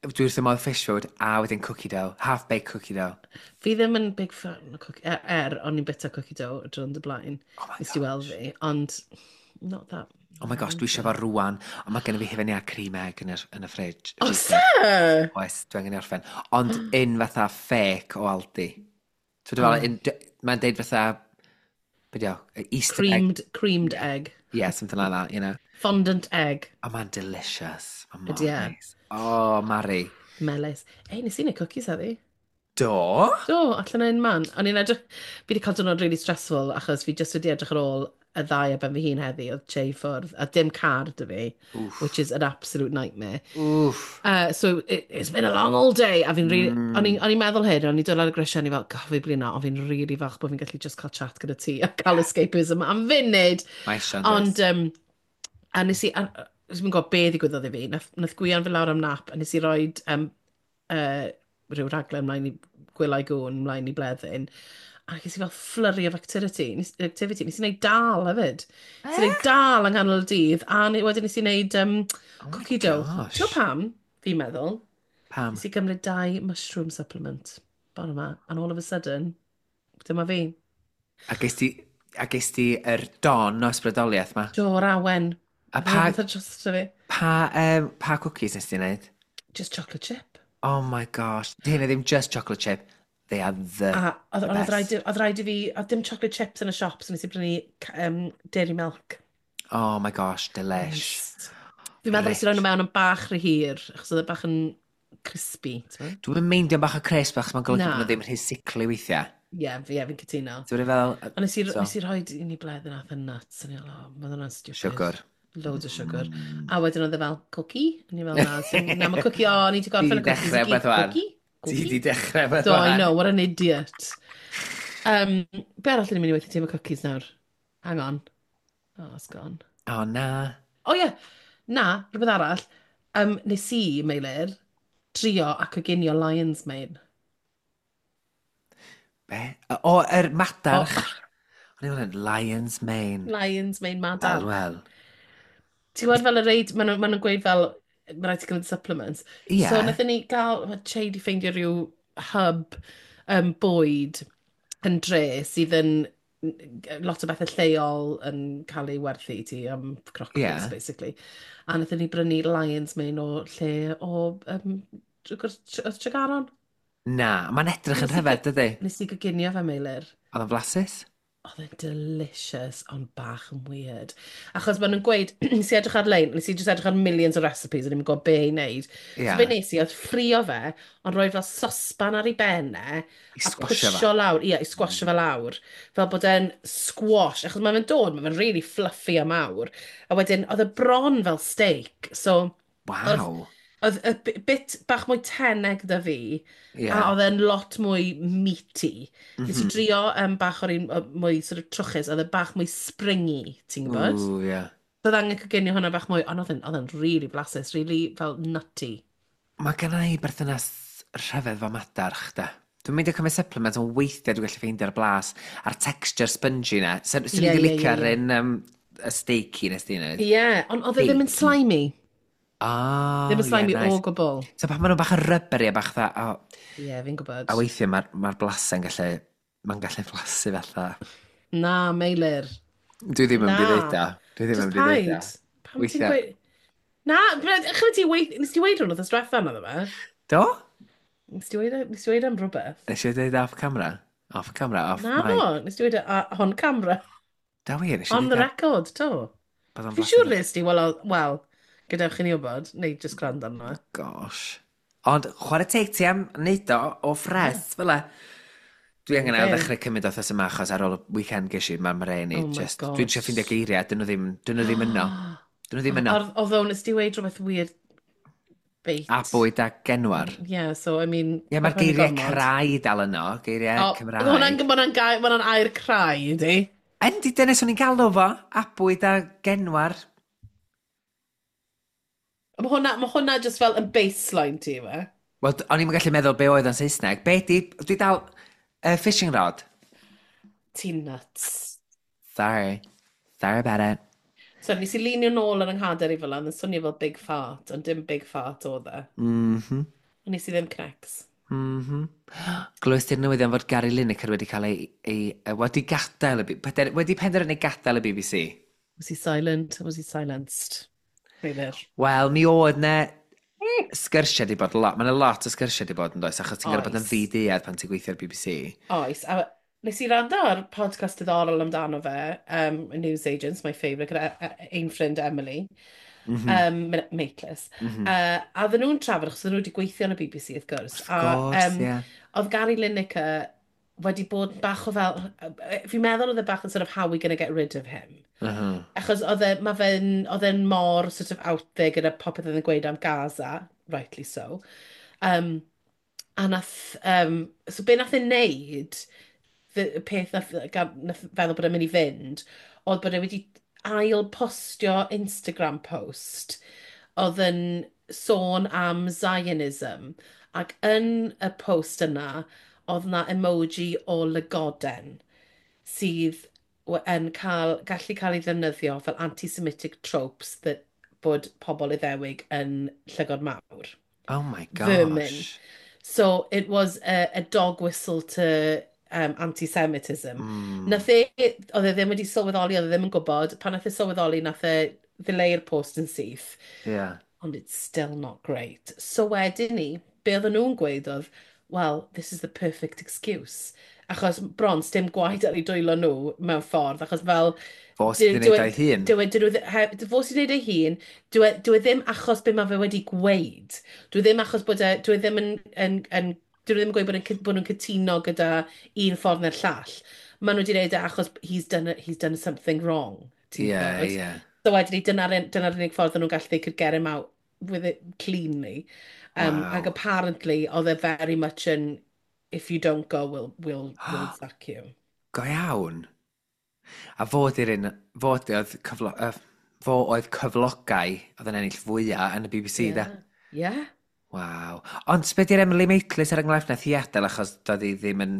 Dwi wrth fy modd fish food a wedyn cookie dough, half-baked cookie dough.
Fi ddim yn big fan o cookie, o'n i'n bita cookie dough y diwrnod y blaen.
Oh my
Nes ti weld
gosh.
fi, ond not that.
Oh my gosh, dwi eisiau fo rwan, ond mae gen i fi hufen iâ cream egg yn y fridge.
Oes e?
Oes, dwi angen i orffen. Ond un fatha fake o Aldi. Dwi'n fel, mae'n deud fatha, be di o, Easter egg.
Creamed egg.
Yeah, something like that, you know.
Fondant egg.
Oh, mae'n delicious. Mae'n mor
Ydi e?
nice. Oh, Mari.
Melys. Ei, nes i wneud cookies heddi.
Do?
Do, allan o'n man. O'n i'n edrych... Fi wedi cael diwrnod really stressful achos fi just wedi edrych ar ôl y ddau ar ben fy hun heddi, oedd Che i ffwrdd, a dim car 'da fi,
Oof.
which is an absolute nightmare.
Oof.
So it's been a long old day, a fi'n really... O'n i'n meddwl hyn, o'n i'n dod ar y grisiau, o'n i fel, gof, fi blino, ond fi'n really falch bod fi'n gallu just cael chat gyda ti a cael escapism am funud.
Mae eisiau, does?
Ond, a nes i, nes i'n gwybod be ddigwyddodd i fi, nath Gwion fi lawr am nap, a nes i roed rhyw raglen mlaen i gwylau gwn, mlaen i bleddyn, a ges i fel flurry of activity. Nes i wneud dal hefyd. Nes i wneud dal yng nghanol y dydd, a wedyn nes i wneud
Oh my
cookie dough.
gosh.
Ti'n gwbod pam? Fi'n meddwl.
Pam?
Nes i gymryd dau mushroom supplement. Bore yma, and all of a sudden, dyma fi.
A ges ti yr don o ysbrydoliaeth ma?
Do'r awen.
A pa,
Rhywbeth ar drosto fi.
pa cookies nes ti wneud?
Just chocolate chip.
Oh my gosh. Di hynny ddim just chocolate chip. They are the
A oedd
the
oedd
best.
oedd rhaid i fi, oedd dim chocolate chips yn y siop, so nes i brynu dairy milk.
Oh my gosh, delish.
Nice. Fi'n meddwl nes i roi nhw mewn yn bach rhy hir, achos oedd e bach yn crispy. Ti'n gwbod?
Dwi'n meindio bach o crisp achos mae'n golygu
Na.
bod nhw ddim rhy sickly weithiau.
Ie, fi'n cytuno.
Dwi'n fel...
Ond
So,
nes i rhoi i ni bleddyn ath yn nuts, a ni fel, oh, mae hwnna'n stupid.
Siwgr.
Loads o siwgr. A wedyn oedd e fel, cookie? A ni fel, na, so, na, mae cookie, o, ni wedi gorffen y
Ti 'di
cookies i
dechrau
gyd.
beth wan.
Cookie?
Ti
Cookie?
di dechrau beth
Do, I
wan.
know, what an idiot. Be arall ni'n mynd i weithio ti efo cookies nawr? Hang on. Oh, it's gone.
O, na.
O ie, na, rhywbeth arall. Nes i, Meilir, drio a coginio lion's mane.
Be? O, yr madarch.
O.
O'n i'n meddwl, lion's mane.
Lion's mane madarch.
Wel, wel.
Ti'n gwybod fel y reid, maen nhw'n ma nhw gweud fel, mae rhaid ti gymryd supplements.
Ie.
So wnaethon ni gael, mae Che di ffeindio rhyw hub bwyd yn dre sydd yn lot o bethau lleol yn cael ei werthu i ti am crocbris, basically. A wnaethon ni brynu lion's mane o lle o Tregaron.
Na, mae'n edrych yn rhyfedd, dydy?
Nes i goginio fe, Meilir.
Oedd o'n flasus?
Oedd e'n delicious, ond bach yn weird. Achos maen nhw'n gweud, nes i edrych ar-lein, nes i just edrych ar millions o recipes, a ddim yn gwybod be i wneud.
Ie.
So be nes i oedd ffrio fe, ond rhoi fel sosban ar ei ben e,
I
a
squasho fe.
pwsio lawr, ie, i squasho fe lawr. Fel bod e'n squash, achos mae fe'n dod, mae fe'n really fluffy a mawr. A wedyn, oedd e bron fel steak, so
Waw.
Oedd y bit bach mwy tenau gyda fi, a oedd e'n lot mwy meaty. Nes i drio bach o'r un mwy sort of trwchus, oedd e bach mwy springy, ti'n gwybod?
Ooh, yeah.
Oedd angen coginio hwnna bach mwy, ond oedd e'n really blasus, really fel nutty.
Mae gen i berthynas rhyfedd fo madarch, da. Dwi'n mynd i cymryd supplement, ond weithiau dwi'n gallu ffeindio'r blas a'r texture spongy na. Swn i wedi licio'r un y steaky nes di wneud.
Ie, yeah, ond oedd e ddim yn slimy.
Oh,
ddim yn slimy
yeah, nice.
O gwbl.
So pan maen nhw'n bach yn rubbery a bach dda...
Oh, ie, yeah, fi'n gwybod.
A weithiau mae'r ma blasau'n gallu... Mae'n gallu blasu fatha.
Na, Meilir.
Dwi ddim yn mynd i ddeud o. Dwi ddim yn mynd i ddeud o.
Pam ti'n gweud... Na, chymryd ti weid... Nes ti weid hwn wrth diwetha na ddo fe?
Do?
Nes ti weid am rhywbeth?
Nes i dweud off camera? Off camera, off
Na,
mic.
No, nes ti weid on camera.
Da wir, nes i
On the record, to. Fi'n siŵr nes ti, wel, well, gadewch i ni wybod, neu just gwrando arno.
Gosh. Ond chwarae teg ti am wneud o ffres, fel e. Dwi angen ail ddechrau cymryd wythnos yma, achos ar ôl y weekend ges i, mae'r mren i
Oh
just...
gosh.
Dwi'n trio ffeindio geiriau, dyn nhw ddim, dyn nhw ddim yno. Dyn nhw ddim yno.
Although nes ti weid rhywbeth weird bait.
A bwyd a genwar.
Yeah, so I mean...
Ie, yeah, mae'r geiriau crai dal yno, geiriau Cymraeg.
Mae hwnna'n air crai, yndi?
Yndi, dyna swn i'n galw fo, abwyd a genwar.
Mae hwnna just fel yn baseline ti, fe?
Wel, o'n i'n gallu meddwl be oedd o'n Saesneg. Be di, dwi dal, fishing rod.
Ti'n nuts.
Sorry. Sorry about it.
So, nes i linio nôl yn ynghader i fel yna, yn swnio fel big fart, ond dim big fart oedd e. Ond nes i ddim cnecs.
Glywys ti'r newyddion fod Gary Lineker wedi cael ei wedi gadael y, wedi penderfynu gadael y BBC.
Was he silent? Was he silenced?
Wel, mi oedd ne sgyrsiau di bod lot. Mae'n lot o sgyrsiau di bod yn does, achos ti'n gorfod bod yn ddi-duedd pan ti'n gweithio ar BBC.
Oes, a nes i rando ar podcast diddorol amdano fe, News Agents, my favourite, gyda ein ffrind Emily, Maitlis. A oedden nhw'n trafod, achos oedden nhw wedi gweithio yn y BBC, wrth gwrs.
Wrth gwrs, ie.
Oedd Gary Lineker wedi bod bach o fel... Fi'n meddwl oedd e bach yn sort of how we gonna get rid of him. Achos oedd e'n mor sort of out there gyda popeth oedd e'n gweud am Gaza, rightly so. A nath... so be nath e wneud, y peth nath feddwl bod e'n mynd i fynd, oedd bod e wedi ail-postio Instagram post oedd yn sôn am Zionism, ac yn y post yna oedd na emoji o lygoden sydd yn gallu cael ei ddefnyddio fel anti-Semitic tropes that bod pobl Iddewig yn llygod mawr.
Oh my gosh.
Vermin. So it was a dog whistle to anti-Semitism. Nath e, oedd e ddim wedi sylweddoli, oedd e ddim yn gwybod. Pan nath e sylweddoli, nath e ddileu'r post yn syth.
Yeah.
Ond it's still not great. So wedyn ni, be oedden nhw'n gweud oedd, well, this is the perfect excuse. Achos bron, dim gwaed ar ei dwylo nhw mewn ffordd, achos fel...
Fo sydd wedi gwneud ei hun.
Fo sydd wedi gwneud ei hun, dwi ddim achos be mae fe wedi gweud. Dwi ddim achos bod e, dwi ddim yn dwi ddim yn gweud bod nhw'n cytuno gyda un ffordd neu'r llall. Maen nhw wedi gwneud e achos he's done something wrong.
Ie, ie.
So wedyn ni, dyna'r unig ffordd nhw'n gallu, they could get him out with it cleanly.
Wow.
Ac apparently, oedd e very much yn, if you don't go, we'll sack you.
Go iawn. A fo di'r un, fo oedd cyflogau oedd yn ennill fwyaf yn y BBC, da.
Yeah.
Waw. Ond be di'r Emily Maitlis er enghraifft nath hi adael achos doedd hi ddim yn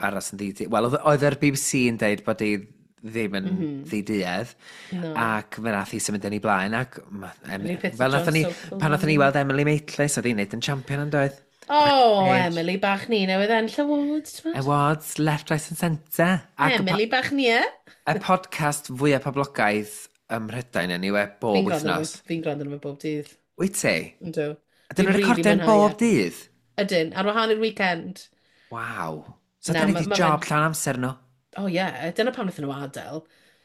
aros yn ddi... Wel, oedd yr BBC yn deud bod hi ddim yn ddi-duedd.
No.
Ac fe nath hi symud yn ei blaen. Ac, fel nath ni, pan nath ni weld Emily Maitlis, oedd hi'n neud yn champion yn doedd.
Oh, Emily bach ni newydd ennill awards.
Awards, left, right and centre.
Emily bach ni, e?
Y podcast fwyaf poblogaidd ym Mhrydain, anyway, bob wythnos.
Fi'n gwrando arno fe bob dydd.
Wyt ti?
Yndw.
Ydyn nhw'n recordio'n bob dydd?
Ydyn, ar wahan i'r weekend.
Waw. So dyn ni wedi job llawn amser nhw?
Oh ie, yeah. Dyna pam wnaethon nhw adael.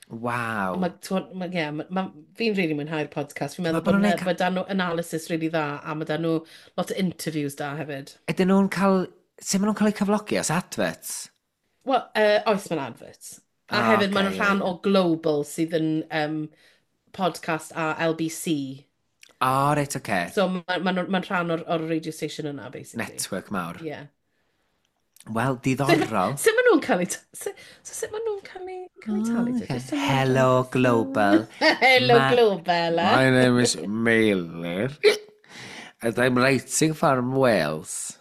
Waw.
Fi'n really mwynhau'r podcast. Fi'n meddwl bod dan nhw analysis really dda, a mae dan nhw lot o interviews da hefyd.
Ydyn nhw'n cael... Sut maen nhw'n cael eu cyflogi os adverts?
Wel, oes mae'n adverts. A hefyd maen nhw'n rhan o Global sydd yn podcast a LBC.
O, oh, reit, oce. Okay.
So mae'n ma, ma, ma rhan o'r radio station yna, basically.
Network mawr.
Yeah.
Wel, diddorol.
Sut maen nhw'n cael ei... So sut maen nhw'n cael ei talu?
Oh, okay. Hello, Global.
Hello, Global. Eh?
My name is Meilir. And I'm writing from Wales.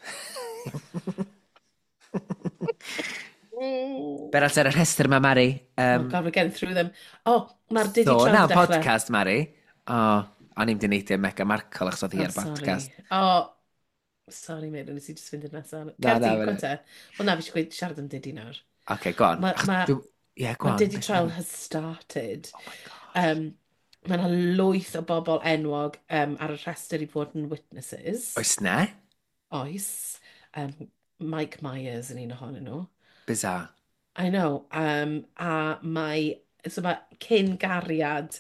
Be arall ar y rhestr yma, Mari?
Oh God, we're getting through them. Oh, mae'r Diddy so, Trial
dechrau. Podcast, Mari. Oh, o'n i'n dyneidio Meghan Markle achos oedd hi ar podcast.
Oh, sorry, mate, nes i just fynd i'r nesaf. Na, na, na. Wel na, fi eisiau gweud siarad am Diddy nawr.
Okay, go on.
Ma,
yeah, go on.
Diddy Trial has started.
Oh my gosh.
Mae yna lwyth o bobl enwog ar y rhestr i fod yn witnesses.
Oes na?
Oes. Mike Myers yn un ohonyn nhw.
Bizarre.
I know. A mae, so mae cyn gariad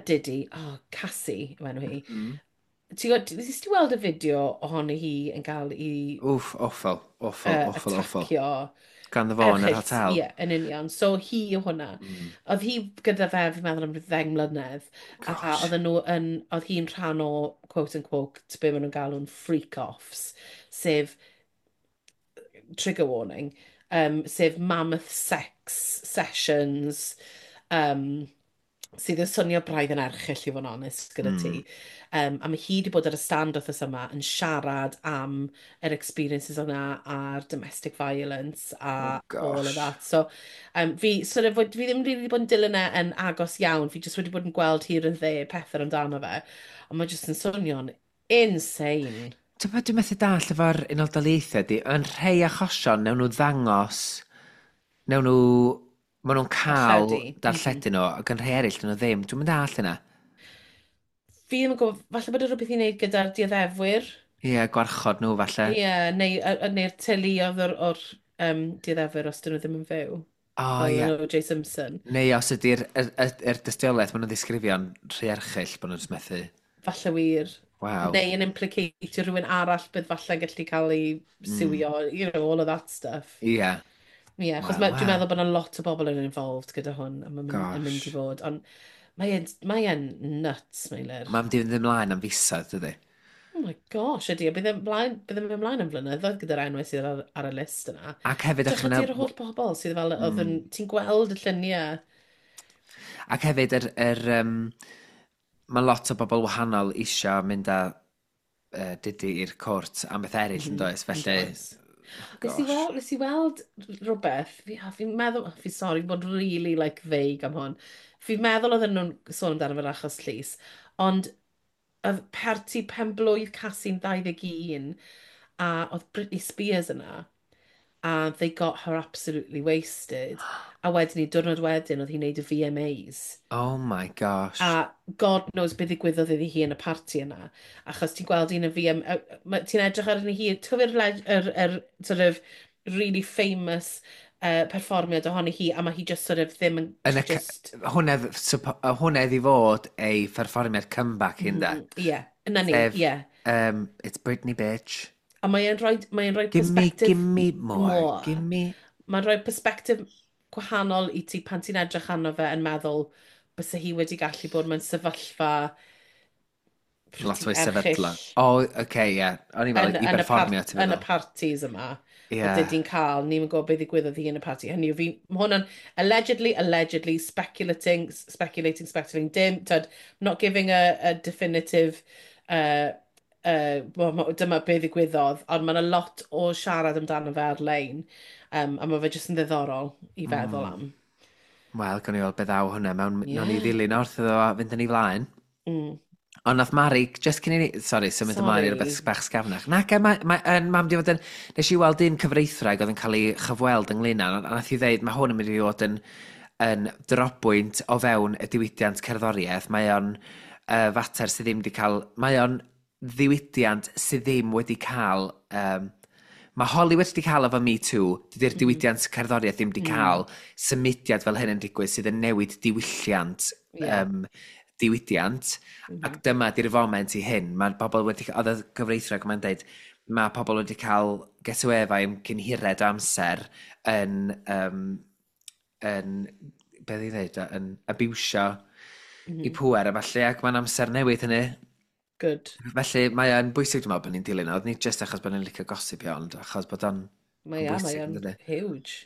Diddy, oh, Cassie, yw enw hi. Ti'n gwybod, nes ti weld y fideo ohoni hi yn cael ei...
Wff, awful, awful, awful, awful.
Atacio.
Ganddo fo yn yr hotel.
Ie, yeah, yn union. So hi yw hwnna. Oedd hi gyda fe, fi'n meddwl, am 10 mlynedd.
Gosh.
A oedden nhw yn, oedd hi'n rhan o, quote unquote, be maen nhw'n galw'n freak-offs, sef trigger warning, sef mammoth sex sessions, sydd yn swnio braidd yn erchyll i fod yn onest gyda ti. A mae hi wedi bod ar y stand wythnos yma yn siarad am yr experiences yna a'r domestic violence a
oh,
all of that. So fi, sort of, fi ddim really wedi bod yn dilyn e yn agos iawn. Fi just wedi bod yn gweld here and there pethau amdano fe. Ond mae just yn swnio'n insane.
Ti'n bod dwi'n methu dall efo'r Unol Daleithiau di, yn rhai achosion, newn nhw ddangos, newn nhw, maen nhw'n cael darlledu nhw, ac yn rhai eraill, dyn nhw ddim. Dwi'n mynd all yna.
Fi ddim yn gwybod, falle bod e rhywbeth i wneud gyda'r dioddefwyr.
Ie, yeah, gwarchod nhw falle.
Ie, yeah, neu'r teulu oedd o'r dioddefwyr os dyn nhw ddim yn fyw.
O, ie.
Fel O.J. Simpson.
Neu os ydy'r dystiolaeth maen nhw'n ddisgrifio'n rhy erchyll bod nhw'n methu.
Falle wir.
Wow.
Neu yn implicatio rhywun arall bydd falle'n gallu cael ei siwio, you know, all of that stuff.
Ie. Yeah.
Ie, yeah, achos
Wel,
dwi'n meddwl bod yna lot o bobl yn involved gyda hwn, a mae'n mynd i fod. Ond mae'n nuts, Meilir.
Mae'n mynd i fynd ymlaen am fisoedd, dydy?
Oh my gosh, ydy. Bydd e'n mynd ymlaen am flynyddoedd gyda'r enwau sydd ar y list yna.
Ac hefyd...
Dych chi'r holl bobl sydd fel, oedd yn, ti'n gweld y lluniau.
Ac hefyd, mae lot o bobl wahanol isio mynd â Diddy i'r cwrt am beth eraill yn does, felly...
Nes i weld rhywbeth, fi'n meddwl, fi'n sorry bod really like vague am hwn, fi'n meddwl oedden nhw'n sôn amdano fe'r achos llys, ond oedd parti penblwydd Cassie'n 21 a oedd Britney Spears yna, a they got her absolutely wasted. A wedyn ni, diwrnod wedyn, oedd hi'n neud y VMAs.
Oh my gosh.
A God knows beth ddigwyddodd iddi hi yn y parti yna. Achos ti'n gweld un y VM... Ti'n edrych arni hi, ti'n cofio'r yr sort of really famous perfformiad ohoni hi, a mae hi just sort of ddim yn...
Yn y
just...
Hwnna iddi fod ei pherfformiad comeback hyn da.
Ie, yna ni, ie.
It's Britney, bitch.
A mae'n rhoi perspective...
Give me more. Give me...
Mae'n rhoi perspective gwahanol i ti pan ti'n edrych arno fe yn meddwl bysa hi wedi gallu bod mewn sefyllfa
lot fwy sefydlog. O, oce, ie. O'n i'n meddwl i berfformio, ti'n meddwl.
Yn y parties yma. Yeah. Oedd di'n cael, ni'n gwybod beth ddigwyddodd hi yn y party. Hynny yw, fi, ma' hwnna'n allegedly, speculating, speculating, speculating, dim, tyd, not giving a definitive, well, dyma beth ddigwyddodd, ond mae yna lot o siarad amdano fe ar-lein, a mae fe jyst yn ddiddorol i feddwl am.
Wel, gawn ni weld beth ddaw hwnna mewn, yeah. Nawn ni ddilyn wrth iddo fo fynd yn ei flaen. Ond nath Mari, just cyn i ni, sorry, symud ymlaen i rhywbeth bach sgafnach. Nac, mam di fod yn, nes i weld un cyfreithwraig oedd yn cael ei chyfweld ynglyn â, a nath i ddeud, mae hwn yn mynd i fod yn drobwynt o fewn y diwydiant cerddoriaeth. Mae o'n fater sydd ddim wedi cael, mae o'n ddiwydiant sydd ddim wedi cael, mae Hollywood wedi cael efo Me Too, dydy'r diwydiant cerddoriaeth ddim wedi cael symudiad fel hyn yn digwydd sydd yn newid diwylliant diwydiant, ac dyma di'r foment i hyn. Mae pobl wedi, oedd y cyfreithwraig yma'n dweud, mae pobl wedi cael get away efo am cyn hired o amser yn beth i ddweud, yn abusio i pŵer a falle, ac mae'n amser newid hynny.
Good.
Felly mae o'n bwysig dwi'n meddwl bod ni'n dilyn o. Nid jyst achos bod ni'n licio gossipio, ond achos bod o'n
Mae
yn
ia, mae
bwysig,
o'n
yndydi?
huge.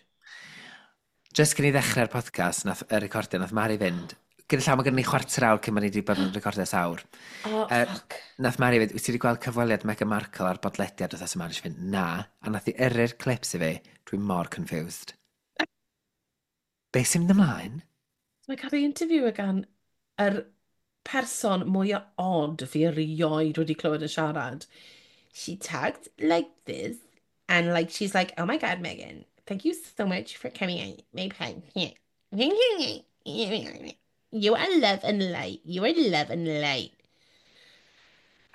Just cyn i ddechrau'r podcast, nath, y recordio, nath Mari fynd. Gyda llaw, mae gennym ni chwarter awr cyn bod ni wedi bod yn recordio ers awr.
Oh, fuck.
Nath Mari fynd, wyt ti wedi gweld cyfweliad Meghan Markle ar bodlediad wythnos yma? Nes i fynd, na. A nath i yrru'r clips i fi. Dwi'n mor confused. Be sy'n mynd ymlaen?
Mae'n cael ei interview gan yr person mwyaf odd fi erioed wedi clywed yn siarad. She talked like this, and like she's like, "Oh my God, Meghan, thank you so much for coming on my podcast. You are love and light. You are love and light."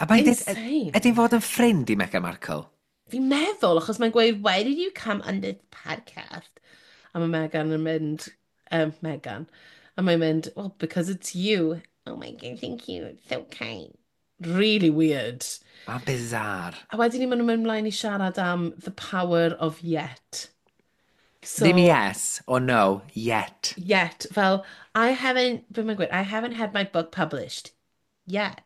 A mae'n deud,
Insane.
ydy'n fod yn ffrind i Meghan Markle?
Fi'n meddwl, achos mae'n gweud, "Why did you come on this podcast?" A mae Meghan yn mynd, Meghan, a mae'n mynd, "Well, because it's you." "Oh my God, thank you, it's so kind." Really weird.
Mae'n bizarre.
A wedyn ni maen nhw'n mynd mlaen i siarad am the power of yet. So,
Ddim yes or no, yet.
Yet, fel, I haven't, be mae'n gweud, "I haven't had my book published. Yet."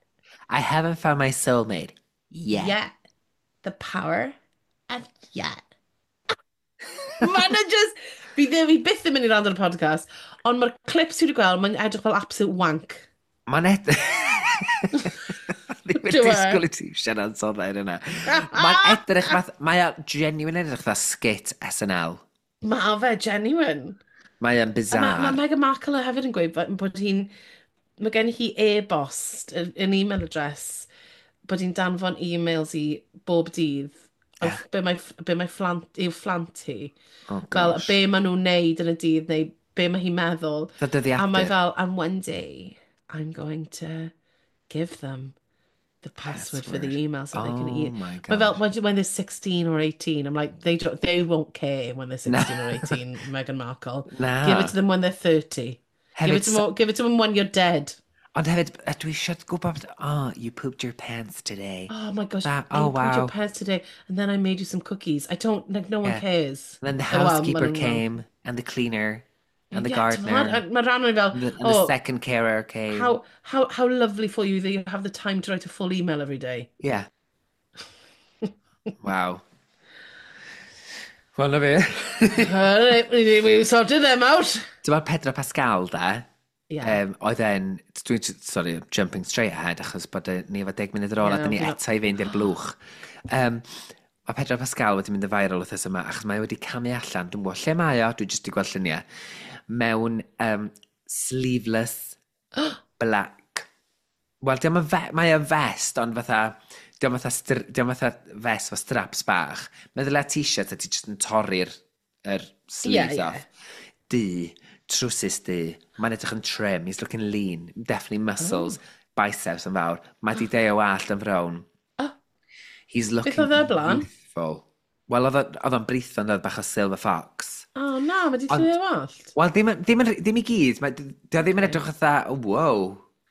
I haven't found my soulmate. Yet.
Yet. The power of yet. Mae'n just, fi ddim, fi byth yn mynd i rand ar y podcast, ond mae'r clips fi wedi gweld, mae'n edrych fel absolute wank.
Mae'n ed... Ddim yn
Do e?
disgwyl i ti siarad soddau yna. Mae'n edrych fath... Mae o genuine edrych fatha skit SNL.
Mae fe genuine.
Mae o'n
A
bizarre.
ma Meghan Markle hefyd yn gweud bod hi'n, mae gen hi e-bost, an email address, bod hi'n danfon e-mails i bob dydd, o be mae phlant, i'w phlant hi.
Oh,
Fel
gosh.
be maen nhw'n neud yn y dydd, neu be mae hi'n meddwl.
Fel dyddiadur.
A mae fel, "And one day, I'm going to give them the password for the
Password.
email so they can
Oh
eat."
my
Mae fel,
gosh.
when they're 16 or 18, I'm like, they won't care when they're 16 or 18, Meghan Markle.
Na.
Give it to them when they're 30. Give
Hefyd,
it to them, give it to them when you're dead.
Ond hefyd, dwi eisiau gwybod, "Oh, you pooped your pants today."
"Oh my gosh,
Oh,
you pooped your
wow.
pants today, and then I made you some cookies." I don't, like, no one cares.
And then the
Oh, well,
housekeeper
ma' nhw'n-
came, and the cleaner, and the
Yeah, ti'n
gardener,
gwbod? Mae rhan o'n fel,
and the
"Oh,
second carer came.
how lovely for you that you have the time to write a full email every day."
Yeah. Wow. Wel, na fi.
Alright, we sorted them out.
Ti'n meddwl Pedro Pascal, da?
Yeah.
Oedd e'n, dwi'n, sorry, jumping straight ahead, achos bod ni efo 10 munud ar ôl, a
Yeah,
dyn ni eto i fynd i'r blwch. Mae Pedro Pascal wedi mynd yn viral wythnos yma, achos mae wedi camu allan, dwi'n gwybod lle mae o, dwi jyst wedi gweld lluniau, mewn sleeveless black. Wel, diolch yn fe mae o'n vest, ond fatha, diolch fatha vest fo straps bach. Meddylia t-shirt a ti jyst yn torri'r yr sleeves off. Du, trwsus du, mae'n edrych yn trim, he's looking lean, definitely muscles, biceps yn fawr. Mae di deu o wallt yn frown.
Oh.
He's looking
oedd e blaen?
youthful. Wel, oedd o'n britho yn dod bach o silver fox.
Oh na, mae di lliwio wallt.
Wel, ddim i gyd. Mae, dio ddim yn edrych fatha, "Oh, wow,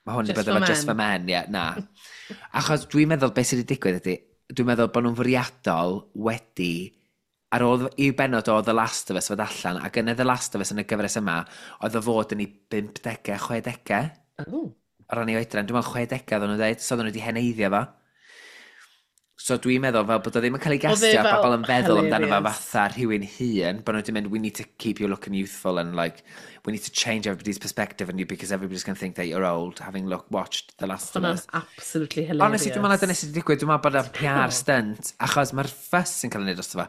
mae hwn wedi
Just
bod efo
for
just for men," ie, na. Achos dwi'n meddwl beth sydd wedi digwydd ydy, dwi'n meddwl bod nhw'n fwriadol wedi, ar ôl i'w benod o The Last of Us fod allan, ac yn y The Last of Us yn y gyfres yma, oedd o fod yn ei 50au, 60au, o ran ei oedran. Dwi'n meddwl 60au oedden nhw'n dweud, so oedden nhw wedi heneiddio fo. So dwi'n meddwl fel bod o ddim yn cael ei
Oedd e
gastio, a
fel
bobl yn feddwl amdano fo
hilarious.
fatha rhywun hŷn, bod nhw wedi mynd, "We need to keep you looking youthful and like, we need to change everybody's perspective on you because everybody's going to think that you're old, having watched The Last of
Hwnna'n
Us."
absolutely hilarious.
Honestly, dwi'n meddwl dyna sydd wedi digwydd, dwi'n meddwl bod o'n PR stunt, achos mae'r fuss sy'n cael ei wneud drosto fo.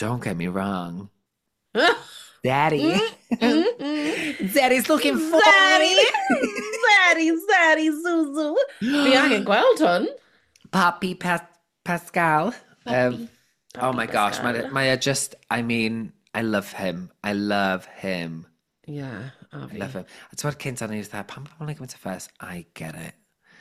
Don't get me wrong. Daddy. Daddy's looking for
Daddy! Daddy, Daddy, Zuzu. Fi angen gweld hwn.
Papi Pascal. Oh my gosh,
Pascal.
mae o just, I mean, I love him. I love him.
Yeah, a
I
fi.
love him. A ti'n cynt o'n i'n dweud, pam pobl yn gymaint o fuss? I get it.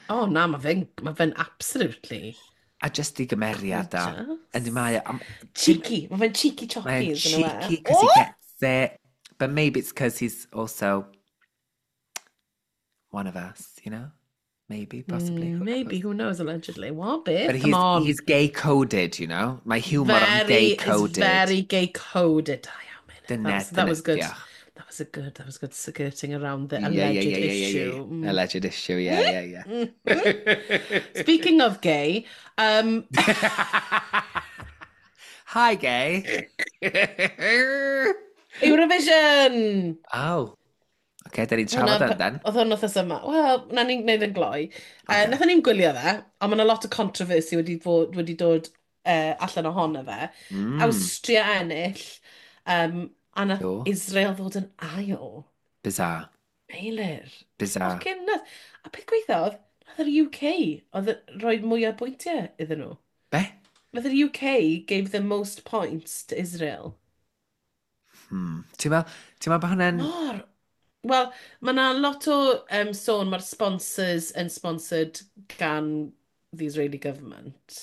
Oh na, mae fe'n absolutely
A just i gymeriad o.
Gorgeous.
Yndi mae o.
Cheeky. Mae fe'n cheeky
Mae'n
choppy. Isn't it?
cheeky because he gets it. But maybe it's because he's also one of us, you know? Maybe, possibly. Who
Maybe,
knows?
who knows, allegedly. What, babe?
But
Come on.
he's gay-coded. Mae humour o'n
Very, it's
gay-coded.
very gay-coded. Da iawn, Meilir.
Dyna,
That was good.
diolch.
That was a good, that was good skirting around the alleged issue.
Alleged issue, yeah.
Speaking of gay,
Hi, gay.
Eurovision!
Oh. Oce, da ni'n trafod
Hwnna-
yn dan.
Oedd hwn wythnos yma. Wel, na ni'n gwneud yn gloi.
Ocê.
Nathon ni'n gwylio fe, ond mae yna lot o controversy wedi dod allan ohono fe. Awstria ennill, a nath
Do.
Israel ddod yn ail.
Bizarre.
Meilir.
Bizarre.
Fucking nuts. A peth gweitha oedd, nath yr UK, oedd rhoi mwy o bwyntiau iddyn nhw.
Be?
Nath yr UK gave the most points to Israel.
Ti'n meddwl bod hwnna'n?
Mor. Wel, mae yna lot o sôn, mae'r sponsors yn sponsored gan the Israeli government.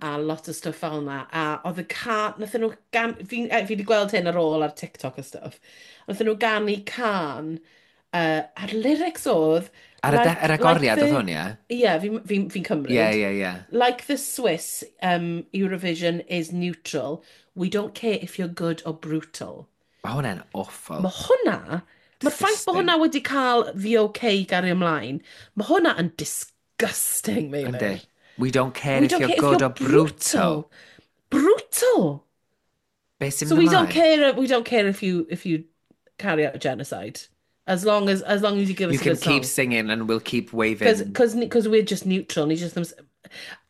A lot o stuff fel yna. A oedd y can, nathon nhw gan, fi wedi gweld hyn ar ôl ar TikTok a stuff. Nathon nhw ganu can, a'r lyrics oedd
Ar y yr agoriad oedd hwn, ie?
Ie, fi cymryd.
Ie, ie, ie.
Like the Swiss, Eurovision is neutral. We don't care if you're good or brutal.
Mae hwnna'n awful.
Mae hwnna, mae'r ffaith bod
Disgusting.
hwnna wedi cael the okay gario ymlaen, mae hwnna yn disgusting, Meilir.
Yndi. We don't care
We
if
don't
you're
care if
good
you're
or brutal.
Brutal.
Be sy'n
So
mynd
we don't
ymlaen?
care. We don't care if you carry out genocide, as long as you give us
You
a
can
good
keep
song.
singing and we'll keep waving.
Because we're just neutral. Ni just ddim.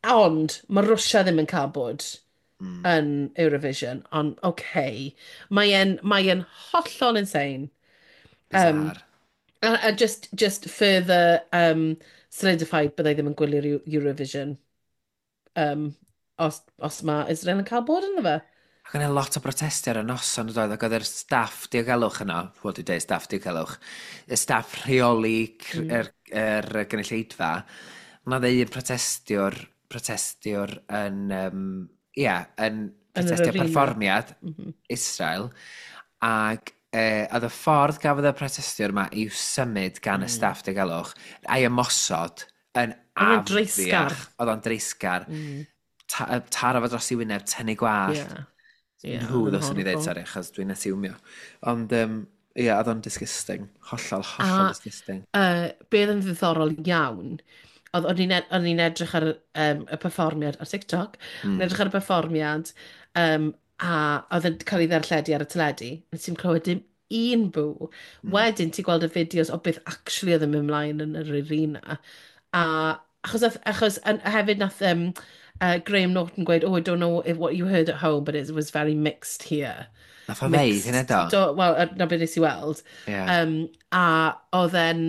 Ond mae Russia ddim yn cael bod yn Eurovision. Ond okay, mae e'n hollol insane.
Bizarre.
A just further solidified byddai ddim yn gwylio'r Eurovision os mae Israel yn cael bod ynddo fe.
Ac yna lot o brotestio ar y noson oedd, ac oedd yr staff diogelwch yno, wel, dwi'n dweud staff diogelwch, y staff rheoli yr gynulleidfa, mae dde un protestiwr yn, yeah, yn
Yn yr
protestio
arena.
perfformiad Israel, ac oedd y ffordd gafodd y protestiwr yma i'w symud gan y staff diogelwch, a'i ymosod yn
Oedd o'n dreisgar.
afiach. Oedd o'n dreisgar. Taro fo dros i wyneb, tynnu gwallt.
Yeah,
Nhw
oedd yn
ddylswn i ddeud,
horrible.
sori, achos dwi'n asiwmio. Ond, ie, oedd o'n disgusting. Hollol, hollol disgusting.
Be oedd yn ddiddorol iawn, oedd o'n i'n edrych ar y perfformiad ar TikTok, edrych ar y perfformiad, a oedd yn cael ei ddarlledu ar y teledu, nes i'n clywed dim un bw. Wedyn ti'n gweld y fideos o beth actually oedd yn mynd ymlaen yn yr arena. A achos hefyd nath Graham Norton gweud, "Oh, I don't know what you heard at home, but it was very mixed here."
Nath o ddeud hynna do?
Do, wel, na beth nes i weld. A oedd e'n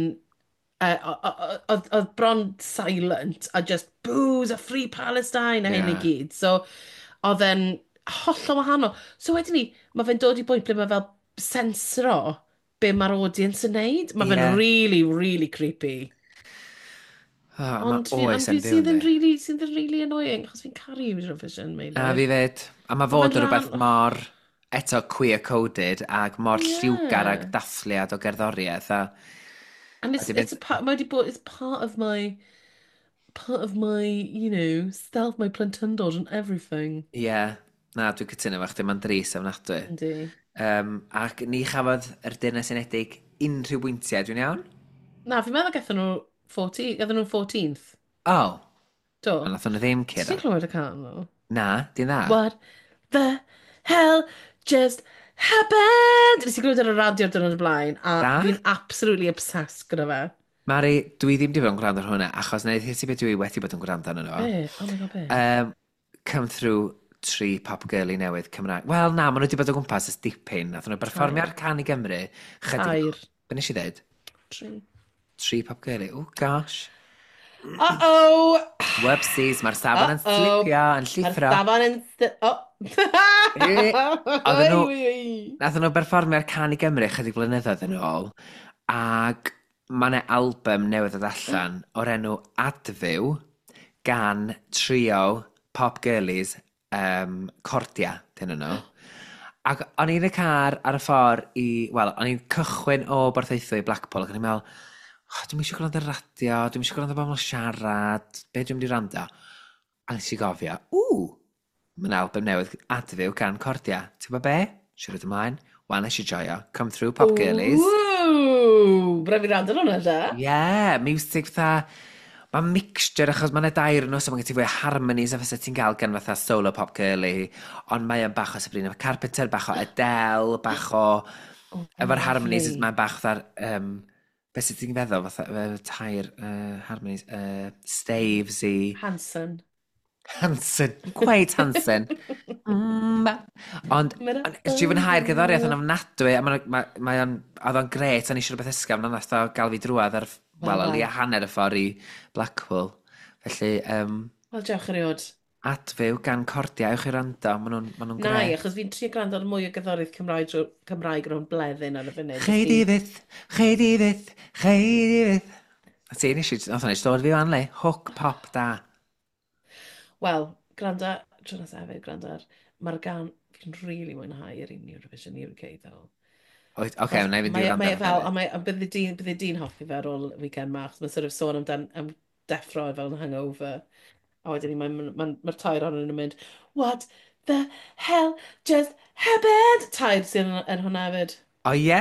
oedd bron silent a just boos a "Free Palestine" a hyn i gyd. So, oedd e'n hollol wahanol. So wedyn ni, mae fe'n dod i bwynt ble mae fel sensro be mae'r audience yn neud. Mae fe'n really, really creepy.
Oh, mae
Ond fi,
oes
ond
yn
fi
fyw,
sydd yn
yndi.
really, sydd yn really annoying, achos fi'n caru Eurovision, Meilir.
A fi fyd. A mae fod
Ma'n
yn rhywbeth mor, eto, queer-coded ac mor lliwgar ag dathliad o gerddoriaeth. A,
And it's,
A di
it's a part, mae wedi bod, it's part of my, self, my plentyndod and everything.
Ie, yeah, na, dwi'n cytuno efo chdi, mae'n dris ofnadwy.
Yndi.
Ac ni chafodd yr Deyrnas Unedig unrhyw bwyntiau, dwi'n iawn?
Na, fi'n meddwl gathon nhw 14, gathon nhw 14th.
Oh,
Do.
ond nathon nhw ddim
Ti'n
curo.
clywed y can nhw?
Na, di'n dda.
"What the hell just happened?" Nes i glywed ar y radio diwrnod y blaen, a
Da?
fi'n absolutely obsessed gyda fe.
Mari, dwi ddim wedi bod yn gwrando ar hwnna, achos na i ti beth dwi wedi bod yn gwrando arno nhw.
Be? Oh my God, be?
Come Through tri pop girly newydd Cymraeg. Wel, na, maen nhw wedi bod o gwmpas ys dipyn. Nathon nhw berfformio ar Can i Gymru. Chydig.
Tair.
Be nes i ddweud?
Tri.
Tri pop girly. Oh, gosh.
Uh-oh!
Whoopsies, mae'r safon yn
Uh-oh.
slipio, yn
Mae'r
llithro.
safon yn Oh!
Nathon nhw berfformio ar Can i Gymru chydig blynyddoedd yn ôl, ac mae yna album newydd ddod allan o'r enw Adfyw gan trio pop girlies Cordia, dyn nhw. Ac o'n i'n y car ar y ffordd i... Wel, o'n i'n cychwyn o Borthaethwy i Blackpool, ac o'n i'n meddwl, "Oh, dwi'm eisiau gwrando ar radio, dwi'm eisiau gwrando bobl siarad, be dwi'n mynd i rando?" A nes i gofio, ww, mae'n album newydd Adfyw gan Cordia. Ti'n gwybod be? Siarad ymlaen. Wel, nes i joio. Come through, pop girlies.
Ooh, braf i rando hwnna, da.
Yeah, music fatha. Mae'n mixture achos mae'n dair nhw, so mae'n gen ti fwy o harmonies a fysa ti'n gael gan fatha solo pop girly, ond mae o'n bach o Sabrina Carpenter, bach o Adele, bach o.
Oh,
Efo'r harmonies,
lovely.
mae'n bach fatha'r. Beth sydd ti'n feddwl, fatha, tair harmonies, Staves i.
Hanson.
Hanson, quite Hanson. Ond, nes i fwynhau'r gerddoriaeth yn ofnadwy, a mae ma, oedd o'n gret, o'n i eisiau rhywbeth ysgafn, ond nath o gael fi drwadd ar, wel, o leia hanner y ffordd i Blackpool. Felly,
Wel, diolch erioed.
Adfyw gan Cordia, ewch i rando, maen nhw'n ma nhw
Na i,
gret.
achos fi'n trio gwrando ar mwy o gerddoriaeth Cymraeg, Cymraeg rhwng bleddyn ar y funud.
Chei di fyth, chei di fyth, chei di fyth. A ti, nes i, nath o'n dod fi fan le, hook pop da.
Wel, gwrando, tro nesaf hefyd, gwrando ar, mae'r gan, fi'n really mwynhau yr un Eurovision UK, though.
Oce, okay, wna i fynd i
Mae,
wrando
mae
ar
fel,
hefyd.
a mae, a bydde di'n hoffi fe ar ôl weekend ma, achos mae'n sort of sôn amdan, am deffro fel yn hangover. A wedyn ni, mae'r ma, ma, ma tair ohonyn nhw'n mynd, "What the hell just happened?" Tair sydd yn hwnna hefyd.
O ie?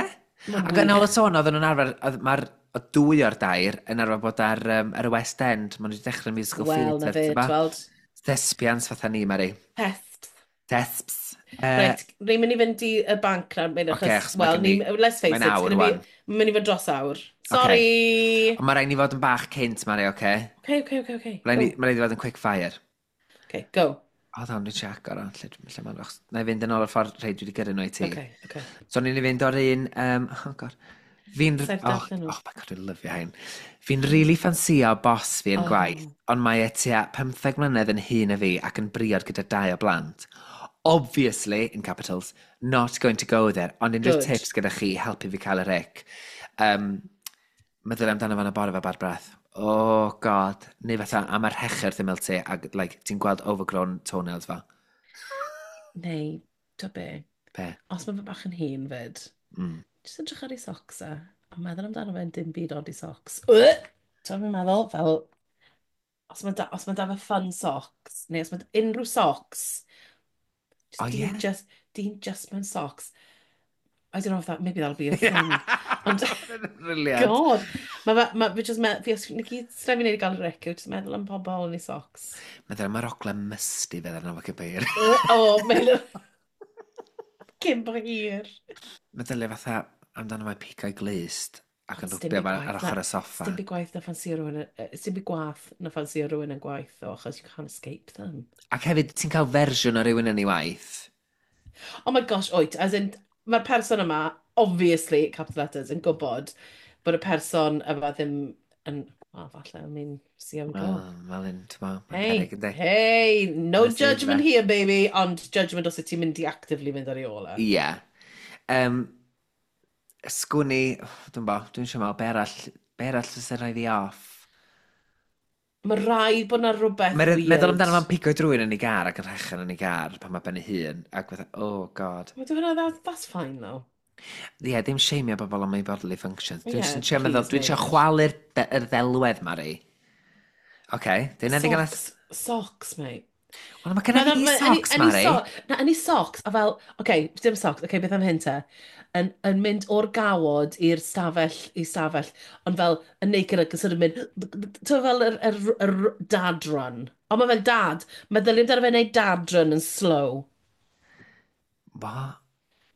Mae'n
Ac yn ôl y
wych.
sôn, oedden nhw'n arfer, mae'r o dwy o'r dair yn arfer bod ar y West End, maen nhw wedi dechrau musical
Wel, na
theatre,
fe,
t'bo?
tweld.
Thespians fatha ni, Mari.
Pests.
Thesps.
Reit, ni'n mynd i fynd i y banc nawr, mynd,
Ocê,
achos,
achos mae
wel,
gen
ni, let's face
mae'n
it, it's
awr
gonna be,
wan.
mae'n mynd i fod dros awr. Sorry!
Ond mae rhaid ni fod yn bach cynt, Mari, oce?
Okay.
Mae
Go.
rhaid i fod yn quick fire.
Okay, go.
O, dda, dwi'n check o'r lle mae'n. Na i fynd yn ôl o'r ffordd rhaid dwi wedi gyrru nhw i ti.
Okay.
So ni'n i fynd o'r un. Oh God. Fi'n.
Saif
Oh,
darllen nhw.
oh my God, dwi'n lyfio hyn. Fi'n really ffansio boss fi yn gwaith, ond mae e tua 15 mlynedd yn hŷn na fi ac yn briod gyda dau o blant. Obviously, in capitals, not going to go there, ond unrhyw
Good.
tips gyda chi i helpu fi cael yr ick. Meddylia amdano fo'n y bore fe bad breath. Oh God. Neu fatha, am yr rhecher wrth ymyl ti, ac like, ti'n gweld overgrown toenails fa.
Neu, to be,
Be?
os mae fe bach yn hŷn fyd, jyst edrych ar ei socks e, a meddwl amdano fe'n dim byd ond ei socks. Ti'n fi'n meddwl, fel, os mae da fe fun socks, neu os mae unrhyw socks, just
Oh,
dyn
ie?
just, dyn just mewn socks. I don't know if that, maybe that'll be a thing. Ond,
Brilliant.
God, mae fe, ma, fe just, me, fi, os, ni gyd, sra fi wneud i gael yr ick, yw just meddwl am pobl yn ei socks.
Meddwl am yr ogle musty fe arno fo cyn hir.
O, mae'n. Cyn bo hir.
Meddylia fatha amdano mae pigau glust ac yn
Ond sdim
rwbio
byd
ar
gwaeth
ochr
na-
y soffa.
Sdim byd gwaith na ffansio rhywun, sdim byd gwaith na ffansio rhywun yn gwaith o, achos you can't escape them.
Ac hefyd, ti'n cael fersiwn o rywun yn ei waith.
Oh my gosh, oet, as in, mae'r person yma, obviously, capital letters, yn gwybod bod y person yma ddim yn, well, falle, I mean, see how we go.
Wel, fel un, ti'n mo, mae'n
Hey,
peryg, yndi?
hey, no
Let's see
judgment
that.
here, baby, ond judgment os wyt ti'n mynd i actively mynd ar ei ôl e.
Ie. Sgwni, dwi'n bo, dwi'n siŵr meddwl, be arall fysa rhoi fi off?
Mae rhaid bod na rhywbeth
Mae'n
weird.
meddwl amdano fo'n pigo drwy'n yn ei gar ac yn rhechen yn ei gar pan mae ben ei hun. Ac fatha, oh God.
Wel, dwi'n meddwl, that's fine, though.
Ie, yeah, dim shameio bobl am ei bodily functions. Dwi'n
Ie,
yeah, trio meddwl,
please,
dwi'n trio
mate.
chwalu'r yr ddelwedd, Mari. Oce, okay, dyna ddigon.
Socks, socks, mate.
Wel, mae genna fi socks, Mari.
Na, any socks, a fel, oce, okay, dim socks, oce, okay, beth am hyn te? Yn mynd o'r gawod i'r stafell, i stafell, ond fel, yn naked ac yn sort of mynd, ti'n fel yr dad run. Ond mae fe'n dad, meddylia amdano fe'n neud dad run yn slow.
What?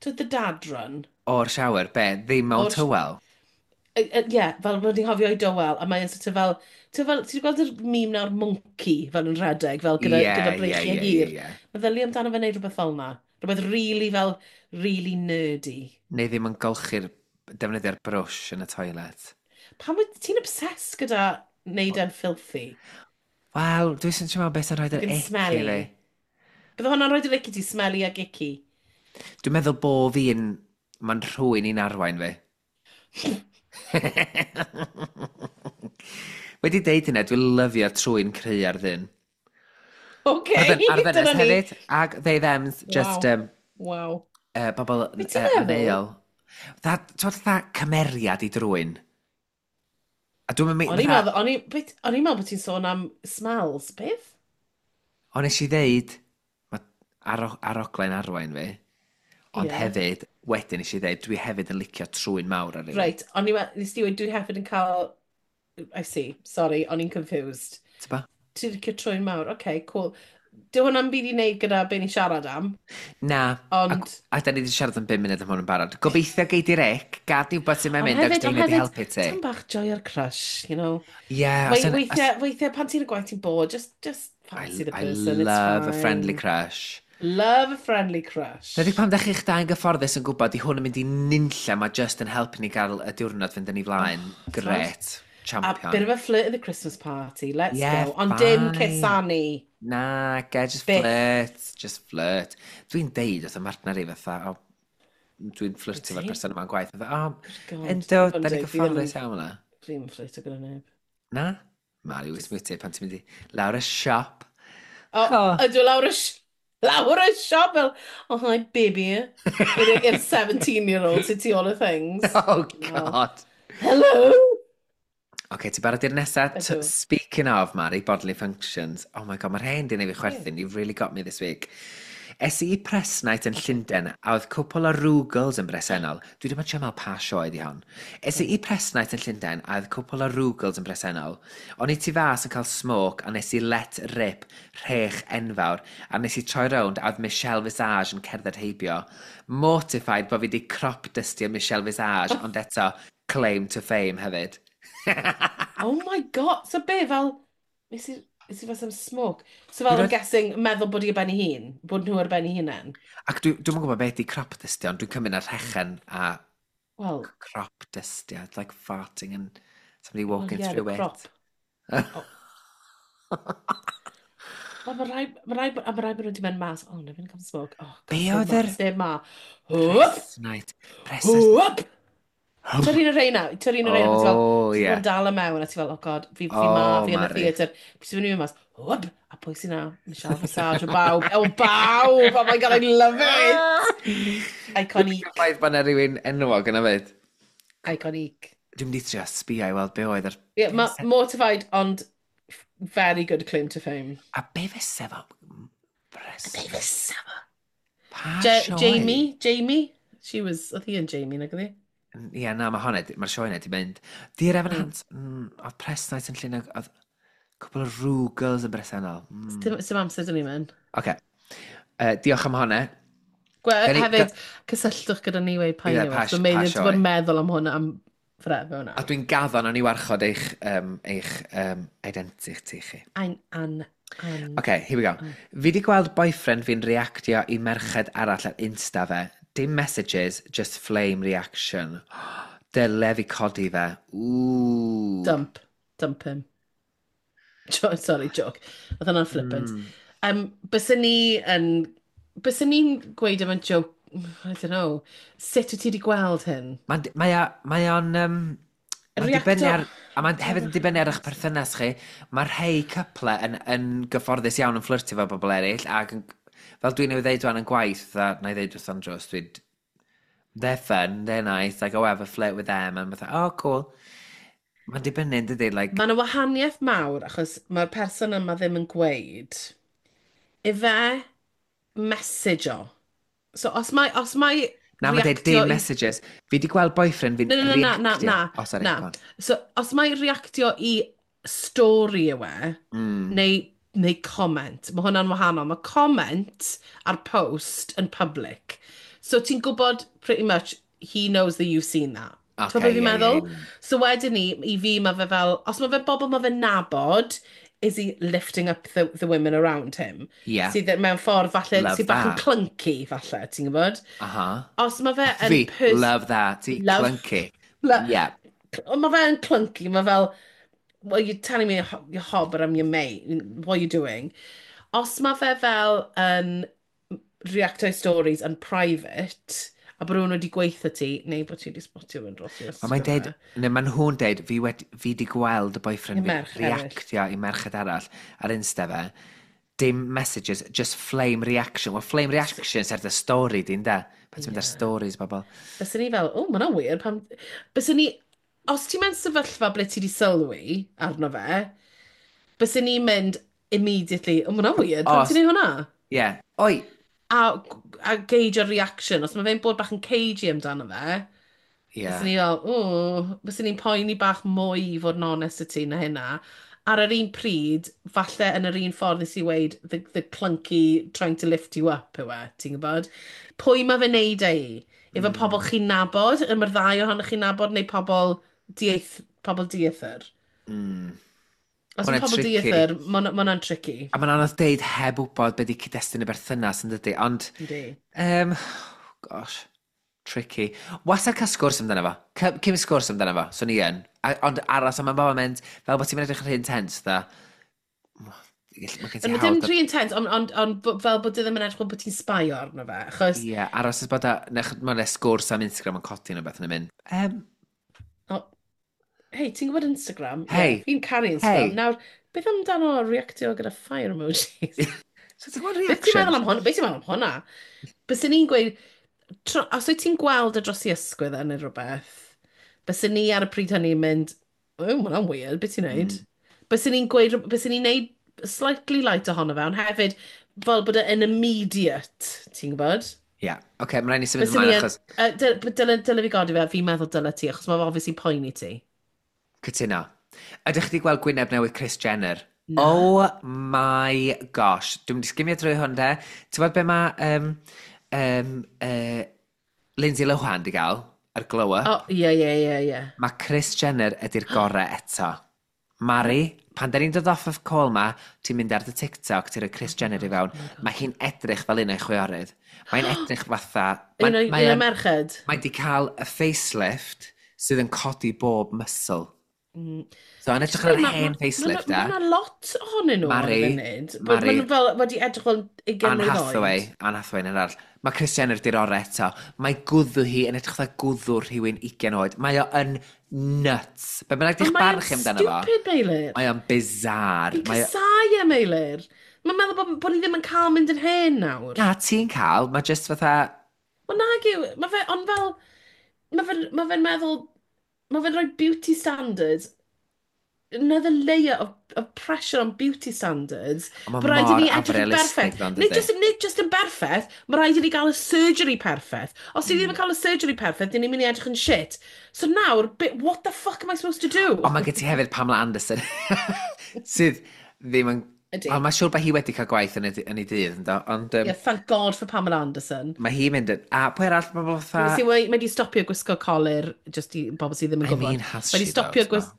To the dad run.
O'r shower, be? Ddim mewn tywel?
Ie, yeah, fel bod ni'n hofio i dywel, a mae'n sort of fel, ti'n fel, ti'n gweld yr meme nawr monkey fel yn rhedeg, fel gyda, gyda breichiau hir. Meddylia amdano fe'n neud rhywbeth fel na. Rhywbeth really fel, really nerdy.
Neu ddim yn golchi'r, defnyddio'r brwsh yn y toilet.
Pam wyt ti'n obsessed gyda neud e'n filthy?
Wel, dwi'n sy'n siŵr beth sy'n rhoi yr
Ac yn
ick i
smelly.
fi.
Bydde hwnna'n rhoi yr ick i ti, smelly ag icky?
Dwi'n meddwl bo fi'n. Mae'n rhywun i'n arwain fi. Wedi deud hynna, dwi'n lyfio trwy'n cry ar ddyn.
Okay,
Ar ddynes
dyna ni.
hefyd, ag they thems, just bobl
Be ti'n meddwl?
aneuol. Ti'n fatha cymeriad i drwy'n. A dwi'n mynd.
O'n i'n meddwl, o'n i'n meddwl bod ti'n sôn am smells, beth?
Ond nes i ddeud, mae aroglen arwain fi, ond hefyd, Wedyn nes i ddeud, dwi hefyd yn licio trwyn mawr ar rhywun.
Reit, ond nes di weud, dwi hefyd yn cael. I see, sorry, o'n i'n confused.
T'ba?
Ti'n licio trwyn mawr, okay, cool. Dyw hwnna'n byd i wneud gyda be ni'n siarad am.
Na.
Ond
A da ni wedi siarad am 5 munud am hwn yn barod. Gobeithio gei di Rick, gad i wybod sut mae'n
Ond
mynd, ac
hefyd,
dwi'n
ond
mynd i
hefyd,
helpu ti.
Tam bach joio'r crush, you know.
Yeah, os yn-
Weithiau, pan ti'n y gwaith ti'n bod, just fancy the
I
person, it's
love a
fine.
friendly crush.
Love a friendly crush.
Nid pan ddech chi'ch dau'n gyfforddus yn gwybod i hwn yn mynd i nunlla, mae just yn helpu ni gael y diwrnod fynd yn ei flaen.
Oh,
Gret.
A
Champion.
bit of a flirt at the Christmas party, let's
Yeah,
go. Ond dim
fine.
cusanu.
Na, ge, just
Byth.
flirt. Just flirt. Dwi'n deud wrth y martner i fatha, o, dwi'n fflirtio efo'r
Wyt ti?
person yma'n gwaith. Fatha, o,
God,
ynddo,
fod yn
da ni'n
deg, fi ddim
gyfforddus iawn yna.
Dwi'n fflirtio gyda neb.
Na? Mari, wyt ti pan ti'n mynd i lawr y siop.
O,
Oh.
ydw lawr y siop fel, "Oh hi baby," i'r 17-year-old sy'n tu ôl y things.
Oh, God.
Hello!
Oce, ti'n barod i'r nesaf?
Ydw.
Speaking of, Mari, bodily functions. Oh my God, mae'r hen di neud fi chwerthin. You've really got me this week. Es i i press night yn Llundain a oedd cwpl o Rugles yn bresennol. Dwi ddim yn trio meddwl pa sioe di hon. Es i i press night yn Llundain a oedd cwpl o Rugles yn bresennol. O'n i tu fas yn cael smoke a nes i let rip rhech enfawr a nes i troi rownd a oedd Michelle Visage yn cerdded heibio. Mortified bod fi di crop dustio Michelle Visage, ond eto claim to fame hefyd.
Oh my God! So be, fel, nes i fel some smoke. So fel,
Dwi'n
I'm guessing, meddwl bod hi ar ben ei hun. Bod nhw ar ben ei hunain.
Ac dwi'm yn gwybod beth di crop dustio, ond dwi'n cymryd ar rhechen a
Wel,
crop dustio. It's like farting and somebody
well,
walking
yeah, the
through
crop.
it.
Oh. Wel, mae rai bod nhw wedi mynd mas. "Oh, no, fi'n cael smoke. Oh, God,
Be
sneb
oedd
ma, sneb ma." Hwp!
Press night. Press night.
Hwp! Ti'n un o'r rheina, ti'n un o'r rheina, ti fel,
Oh,
ti'n
yeah.
bod yn dal y mewn, a ti fel, "Oh God, fi ma,
Oh,
fi yn y
Mari.
theatr." Fi sy'n mynd mas, hwp, a pwy sy'n na? Michelle Visage, o bawb, o bawb, oh my God, I love it! Iconic,
Ffaith bod yna rhywun enwog yna fyd.
Iconic.
Dwi'n mynd i trio sbio i weld be oedd yr.
Yeah, ma, mortified, ond very good claim to fame.
A be fysa fo? Press.
Be fysa fo?
Pa sioe?
Jamie, she was, oedd hi yn Jamie, nag oedd hi?
Ie, na, mae hwnna, mae'r sioe yna di mynd. Dear Evan Hansen, oedd press night yn Llundain, oedd cwpl o Ru girls yn bresennol.
Dim amser dyn ni'n mynd.
Oce. Diolch am hwnna.
Hefyd, cysylltwch gyda ni weud pa
Ie,
yw. So
pa
Meilir, ti'n
sioe.
bod yn meddwl am hwnna am forever hwnna.
A dwi'n gaddo nawn ni warchod eich identity chi.
Ein, an, an.
OK, here we go. Fi di gweld boyfriend fi'n reactio i merched arall ar Insta fe. Dim messages, just flame reaction. Dyle fi codi fe. Ooh.
Dump. Dump him. Sorry, joke. Oedd hwnna'n flippant. Byswn ni yn... Byswn ni'n gweud am y joke. I don't know. Sut wyt ti wedi gweld hyn?
Mae o'n. Mae'n dibynnu ar. A mae'n hefyd yn dibynnu ar eich perthynas chi. Mae rhai cyple yn gyfforddus iawn yn fflyrtio efo bobl eraill, ac yn, fel dwi'n ei ddeud wan yn gwaith, fatha, na i ddeud wrth Andros, dwi'n. "They're fun, they're nice, I go have a flirt with them," and fatha, "Oh, cool." Mae'n dibynnu, yn dydi, like.
Mae yna wahaniaeth mawr achos mae'r person yma ddim yn gweud ife message o. So os mae
Na, mae'n deud
reactio
dim messages. Fi di gweld boyfriend fi'n
Na, na, na, na,
reactio.
na,
Oh, sorry,
na.
go on.
So, os mae reactio i stori yw e, neu comment, mae hwnna'n wahanol. Mae comment ar post yn public. So ti'n gwybod pretty much he knows that you've seen that.
Ocê,
Ti'n gwybod beth fi'n
ie,
meddwl?
ie.
So wedyn ni, i fi mae fe fel, os mae fe bobl mae fe'n nabod, is he lifting up the women around him?
Ie.
Sydd mewn ffordd falle,
Love
sydd bach yn
that.
clunky falle, ti'n gwybod?
Aha.
Os mae fe yn
Fi, love that. Ti, clunky. Yeah.
Ond mae fe yn clunky, mae fel, "Well, you're telling me you're hot, but I'm your mate. What are you doing?" Os mae fe fel yn reacto i stories yn private, a bod rhywun wedi gweithio ti, neu bod ti wedi spotio fe'n dros i
Ond mae'n deud, neu maen nhw'n deud, fi di gweld y boyfriend
I
fi
merch eraill.
reactio i merched arall ar Insta fe. Dim messages, just flame reaction. Well, flame reaction sy'n ar dy story di, ynde? Pan ti'n mynd ar stories, bobl.
Byswn ni fel, "Oh, mae hwnna'n weird." Pam. Byswn ni, os ti'n mewn sefyllfa ble ti wedi sylwi arno fe, byswn ni'n mynd immediately, "Oh, mae hwnna'n weird, pam
Os-
ti'n neud hwnna?"
Ie. Yeah. Oi,
A a gauge o'r reaction, os mae fe'n bod bach yn cagey amdano fe, yeah. Byswn ni fel, o, byswn ni'n poeni bach mwy i fod yn onest y ti na hynna. Ar yr un pryd, falle yn yr un ffordd nes i weud, the clunky trying to lift you up yw e, ti'n gwybod? Pwy mae fe'n neud e i? Efo pobl chi'n nabod, y mae'r ddau ohonych chi'n nabod, neu pobl, dieith, pobl dieithr? Os mae pobl dieithr, mae hwnna'n tricky.
A mae'n anodd deud heb wybod beth di cyd-destun y berthynas yn dydy, ond...
Yndi.
Gosh, tricky. Wastad cael sgwrs amdano fo. Cym sgwrs amdano fo, so ni yn. Ond aros am y moment, fel bod ti'n mynd edrych yn rhy intense, dda.
Mae gen ti hawl... Dim rhy intense, ond on, on, fel bod e ddim yn edrych fel bod ti'n sbaio arno fe, achos...
Ie, yeah, aros ys bod a... Mae'n sgwrs am Instagram yn codi neu beth yn mynd.
Oh, hei, ti'n gwybod Instagram?
Hei.
Yeah, fi'n caru Instagram. Hey. Nawr, beth amdano reactio gyda fire emojis?
So ti'n gwybod reaction? Beth ti'n
meddwl am hwnna? Beth ti'n meddwl am hwnna? Byswn ni'n gweud, os wyt ti'n gweld y dros i ysgwydd e neu rhywbeth, byswn ni ar y pryd hynny'n mynd, oh, mae hwnna'n weird, beth ti'n neud? Byswn ni'n gweud, byswn ni'n neud slightly light ohono fe, ond hefyd, fel bod e'n immediate, ti'n gwybod?
Ie, yeah. oce, okay, mae'n rhaid ni symud ymlaen achos...
Dyle fi godi fe, fi'n meddwl dyle ti, achos mae'n obviously poeni ti.
Cytuno. Ydych chi wedi gweld gwyneb newydd Kris Jenner?
Na.
Oh my gosh. Dwi'n mynd i sgimio drwy hwn de. Ti'n gwybod be mae Lindsay Lohan di gael ar glow up?
Oh, ie, ie, ie, ie.
Mae Kris Jenner ydy'r gorau eto. Mari, pan da ni'n dod off of call ma, ti'n mynd ar dy TikTok, ti'n rhoi Kris Jenner i fewn,
Oh
mae hi'n edrych fel un o'i chwiorydd. Mae'n edrych fatha...
Un o'i merched?
Mae di cael y facelift sydd yn codi bob muscle. So, yn edrych ar yr hen facelift,
e? Mae yna lot ohonyn nhw
Mari,
ar y funud.
Mari.
Maen nhw fel wedi edrych fel 20
Anne
mlwydd
Hathaway,
oed.
Anne Hathaway yn arall. Mae Kris Jenner di'r orau eto. Mae gwddw hi yn edrych fatha gwddw rhywun 20 oed. Mae o yn nuts. Be bynnag di'ch
Ond mae
barn
o'n
chi amdano fo?
stupid, Meilir.
Mae o'n bizarre.
Fi'n
Mae o...
casau e, Meilir. Mae'n meddwl bod ni ddim yn cael mynd yn hen nawr.
Na, ti'n cael. Mae just fatha...
Wel nag yw, mae fe, ond fel, mae fe'n ma fe meddwl, mae fe'n rhoi beauty standards, another layer of pressure on beauty standards.
Ond mae
Mae rhaid i
mor
ni edrych yn
afrealistig
berffaith.
ddo,
Nid
dydi?
just, nid just yn berffaith, mae rhaid i ni gael y surgery perffaith. Os ni ddim yn cael y surgery perffaith, dyn ni'n mynd i edrych yn shit. So nawr, what the fuck am I supposed to do?
Ond mae gen ti hefyd Pamela Anderson, sydd ddim yn...
Ydy.
Wel, mae'n siŵr bod hi wedi cael gwaith yn ei dydd, yndo? Ond
Yeah, thank God for Pamela Anderson.
mae hi'n mynd yn... A pwy arall, mae bobl fatha...
See, mae wedi stopio gwisgo colur, just i bobl sydd ddim yn
I
gwybod.
mean, has
Mae wedi
she
stopio
though,
gwisgo...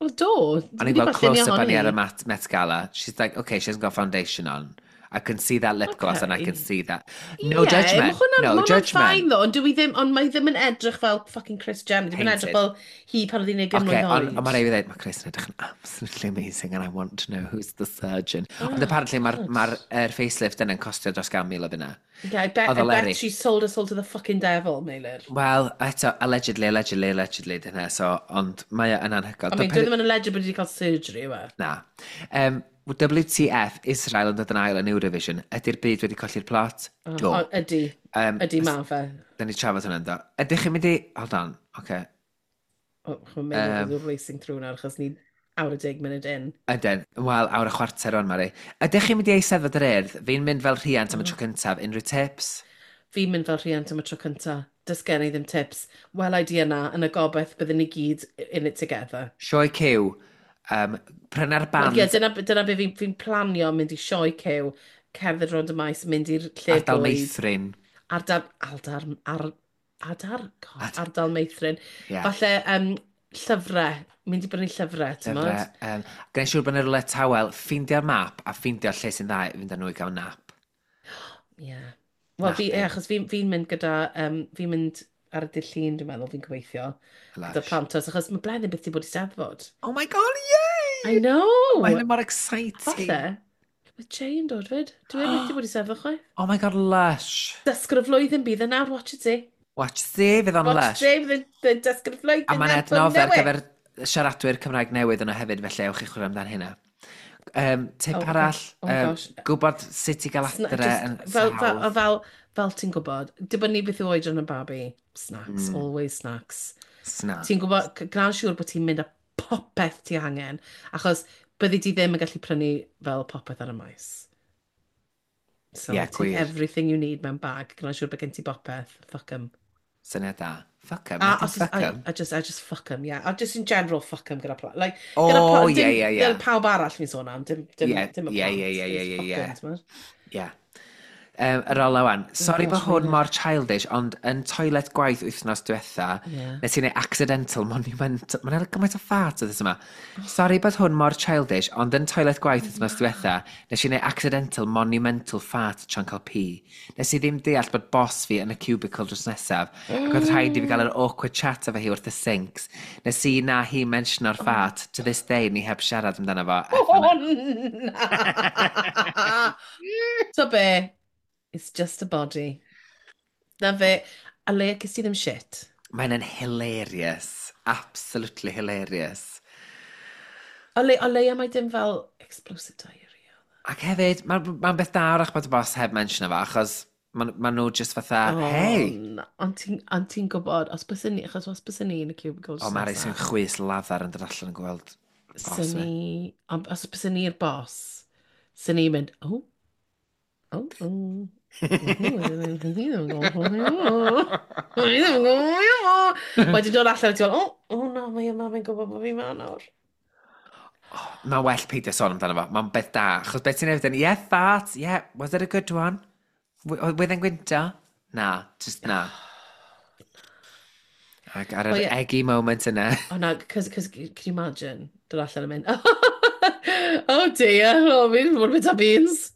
Wel, do.
O'n i'n gweld close-up arni ar y Met Gala. She's like, okay, she hasn't got foundation on. I can see that lip gloss and I can see that. No
Ie,
judgment.
Ma hwnna,
No
ma hwnna'n
judgment.
fine though, ond dwi ddim, ond mae ddim yn edrych fel fucking Kris Jenner. Ddim yn edrych fel hi pan oedd hi'n 20
Okay,
mlwydd
ond
oed.
on mae rhaid i fi ddweud, mae Kris yn edrych yn absolutely amazing and I want to know who's the surgeon. Ond apparently mae'r ma facelift yna'n costio dros 100,000 o bunna.
Yeah, I bet,
Oedd
I
o
bet
Leri.
she sold her soul to the fucking devil, Meilir.
Wel, eto, allegedly, allegedly, allegedly, dyna, so, ond mae o yn anhygoel.
I mean, dwi ddim yn alleged bod wedi cael surgery, yw e?
Na. WTF, Israel yn dod yn ail yn Eurovision. Ydy'r byd wedi colli'r plot? Do.
O, ydy. Ydy ma fe.
Da ni trafod hwnna, do. Ydych chi'n mynd i... Hold on, oce. Okay.
Oh, mae'n meddwl um, racing through nawr, achos ni awr a 10 munud in.
Ydyn. Wel, awr a chwarter o'n, Mari. Ydych chi'n mynd i Eisteddfod yr Urdd? Fi'n mynd fel rhiant am y tro cyntaf. Unrhyw tips?
Fi'n mynd fel rhiant am y tro cyntaf. Does gen i ddim tips. Wel, idea na, yn y gobaith byddwn ni gyd in it together.
Sioe Cyw. Pryna'r band.
Wel, ie, dyna be fi'n fi planio mynd i sioe cyw, cerdded rownd y maes, mynd i'r lle
Ardal
bwyd.
Meithrin.
Ardal, ardal, ar, adar, God, ardal Meithrin.
Yeah.
Falle llyfrau, mynd i brynu llyfrau, ti'n
Llyfrau.
modd?
Gwneud siŵr bod yna rhywle tawel, ffeindio'r map a ffeindio'r lle sy'n dda i fynd â nhw i gael nap.
Ie. Wel, fi,
Napping.
ie, achos fi'n fi mynd gyda, fi'n mynd ar y dydd Llun, dwi'n meddwl, fi'n gobeithio. Gyda
Lush.
plantos, achos mae Bleddyn byth 'di bod i Steddfod.
Oh my God, yay!
I know!
Mae hynny mor exciting.
Falle, mae Jay yn dod fyd. Dwi e byth 'di bod i Steddfod chwaith.
Oh my God, lush.
Dysgwr y flwyddyn bydd yn nawr, watch it,
Watch see, fydd o'n
Watch
lush.
Jay, fydd yn dysgwr y flwyddyn.
A mae'n
nawr,
adnodd ar
newydd.
gyfer siaradwyr Cymraeg newydd yno hefyd, felly ewch i chwilio amdan hynna. Tip
Oh,
arall,
oh my gosh.
gwybod sut i gael adre
Just
yn
fel,
hawdd.
fel ti'n gwybod, dibynnu beth yw oedran y babi, snacks, always snacks.
Snacks.
Ti'n gwybod, gwna'n siŵr bod ti'n mynd â popeth ti angen, achos byddi di ddim yn gallu prynu fel popeth ar y maes. So,
yeah,
take
gwir.
Everything you need mewn bag. Gwna siŵr bod gen ti bopeth. Fuck 'em.
Syniad da. Fuck 'em,
A
dim
os,
fuck
I,
'em.
I just fuck 'em, yeah. A just in general, fuck 'em gyda plant. Like,
O,
gyda dim,
ie.
gyda pawb arall fi'n sôn am, dim, dim y plant. Just fuck 'em, t'mod?
Ie. Yr ola wan. Sorry bod
Gosh,
hwn
Meilir.
mor childish, ond yn toilet gwaith wythnos diwetha, nes i wneud accidental monumental. Mae'n gymaint o fart oedd yma. Sorry bod hwn mor childish, ond yn toilet gwaith wythnos diwetha, nes i wneud accidental monumental fart tra'n cael pee. Nes i ddim deall bod boss fi yn y cubicle drws nesaf, ac oedd rhaid i fi gael yr awkward chat efo hi wrth y sinks. Nes i na hi mentiono'r fart, to this day ni heb siarad amdano fo.
Oh, na! So be, it's just a body. Na fe, a le ges ti ddim shit.
Mae'n yn hilarious. Absolutely hilarious.
O leia mae dim fel explosive diarrhea.
Ac hefyd, mae'n ma beth da wrach bod y boss heb mention fo, achos maen ma nhw just fatha,
Oh,
hey!
Na. Ond ti'n gwybod, os bys ni, achos os bys ni yn y cubicle
O, Mari sy'n chwys lafar yn dod allan yn gweld boss
Sy'n
fi.
ni, ond os bys ni'r boss, sy'n ni'n mynd, oh. Wedyn dod allan a ti'n fel, oh no, mae yma, mae'n gwybod bod fi ma nawr.
Mae'n well peidio sôn amdano fo. Mae'n beth da. Achos beth ti'n neud yn, yeah, fart, yeah, was it a good one? With yn gwynto? Na, just na. Ac ar yr
O, ie.
Eggy moment yna.
Oh no, cause, can you imagine? Dod allan yn mynd, oh dear, oh, fi'n bod bit of beans.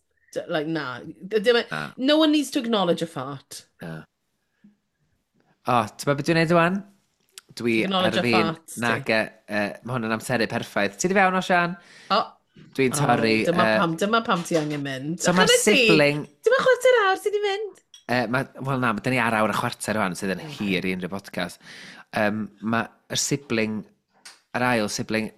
Like, na. Dim,
Na.
no one needs to acknowledge a fart.
Na. O, ti'n gwybod beth dwi'n neud wan? Dwi ar
Acknowledge a
fin,
fart, ti.
nag, mae hwn yn amseru perffaith. Ti di fewn o, Sian?
Oh,
Dwi'n torri.
Oh, dyma pam ti angen mynd.
So mae'r
Chwarae ti.
sibling.
Dyma chwarter awr sydd wedi mynd.
Wel na, dyn ni ar awr a chwarter rwan sydd yn hir i unrhyw podcast. Mae'r sibling, yr ail sibling,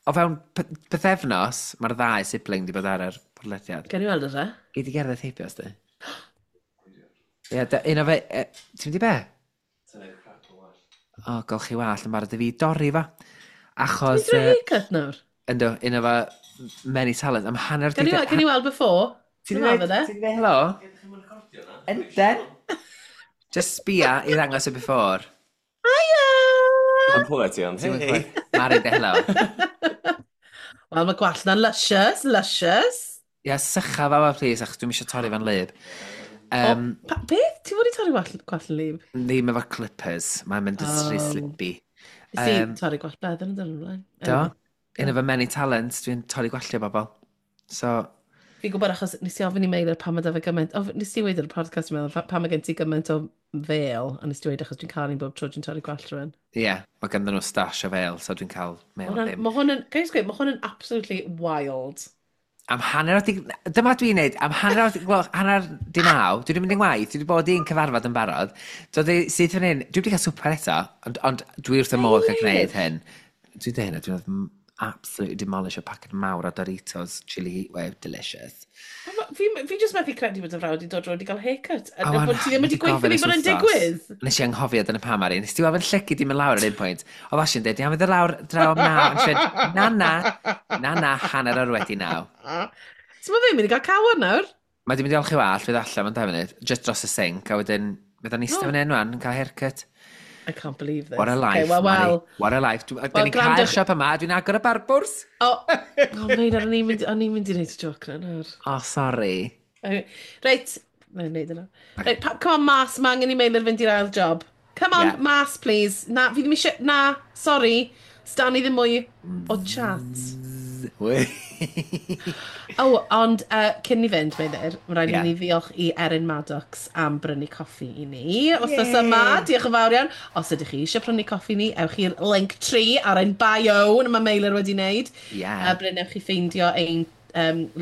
o fewn pythefnos, mae'r ddau sibling di bod ar yr podlediad.
Gan i weld e?
Gei di gerdded heibio, os di? Ie, un o fe. Ti'n mynd i be? O, golchi wallt yn barod i fi dorri fo. Achos
Ti'n drwy haircut nawr?
Ynddo, un o fo many talent. Am hanner
Gan i weld before?
Ti'n
Dyma
dweud
fe, de?
ti'n dweud helo? Enden. Just sbia i ddangos y before.
Hiya!
Yn clywed ti ond,
Ti'n
hei.
gwybod? Mari, de helo.
Wel, mae gwallt na'n luscious, luscious.
Ia, sycha fa fa, please, achos dwi'n eisiau torri fan lyb.
O, beth? Ti fod i torri gwallt yn lyb?
Ddim efo clippers. Mae'n mynd yn rhy slippy.
Nes i torri gwallt Bleddyn yn dyn ymlaen.
Do. Un o fy many talents, dwi'n torri gwalltio bobl. So,
Fi'n gwybod achos nes i ofyn i Meilir pam mae da fe gymaint. O, nes i weid ar y podcast, dwi'n meddwl, pam mae gen ti gymaint o fel, a nes i dweud achos dwi'n cael un bob tro dwi'n torri gwallt rhywun.
Ie, yeah, mae ganddyn nhw stash o fel, so dwi'n cael mail ddim.
Mae hwn yn, can I just gweud, mae hwn yn absolutely wild.
Am hanner o di. Dyma dwi'n neud, am hanner o di, wel, 8:30, dwi wedi mynd i'n ngwaith, dwi wedi bod i'n cyfarfod yn barod. Dod i syth fan hyn, dwi wedi cael swper eto, ond dwi wrth y modd cael gwneud hyn. Dwi'n dweud hynna, dwi'n absolutely demolish o paced mawr o Doritos Chili Heatwave, delicious.
Fi just methu credu bod y frawd wedi dod rownd i gael haircut. A
O,
bod ti ddim wedi
gofyn
gweithio fi
ers
bod yn
wythnos.
digwydd.
Nes i anghofio dyna pam, Mari. Nes ti weld fy llygu di mynd lawr ar un pwynt. Oedd Asi'n dweud, iawn, fydd y lawr draw am 9. Ond siarad, na, na, na, na, 9:30.
So mae fe'n mynd i gael cawod nawr.
Mae di mynd i olchi wallt, fydd allan mewn 2 munud, just dros y sink, a wedyn, fydd o'n eistedd fan hyn wan, yn cael haircut.
I can't believe this.
What a life,
Okay, well,
Mari.
well.
What a life. Dwi,
Wel,
well, ni'n cael
gwrandwch-
siop yma, dwi'n agor y barbwrs.
Oh, Meilir, o'n i'n mynd i wneud y joc na nawr.
Oh, sorry.
Reit, mae'n wneud yna. Reit, come on, mas, mae angen i Meilir fynd i'r ail job. Come on, mas, please. Na, fi ddim eisiau. Na, sorry. Sdan ni ddim mwy o chat. Oh, ond cyn ni fynd, Meilir, mae rhaid i ni ddiolch i Erin Maddox am brynu coffi i ni. Wythnos yma, diolch yn fawr iawn. Os ydych chi eisiau prynu coffi i ni, ewch i'r link tree ar ein bio, na mae Meilir wedi wneud. A brynewch chi ffeindio ein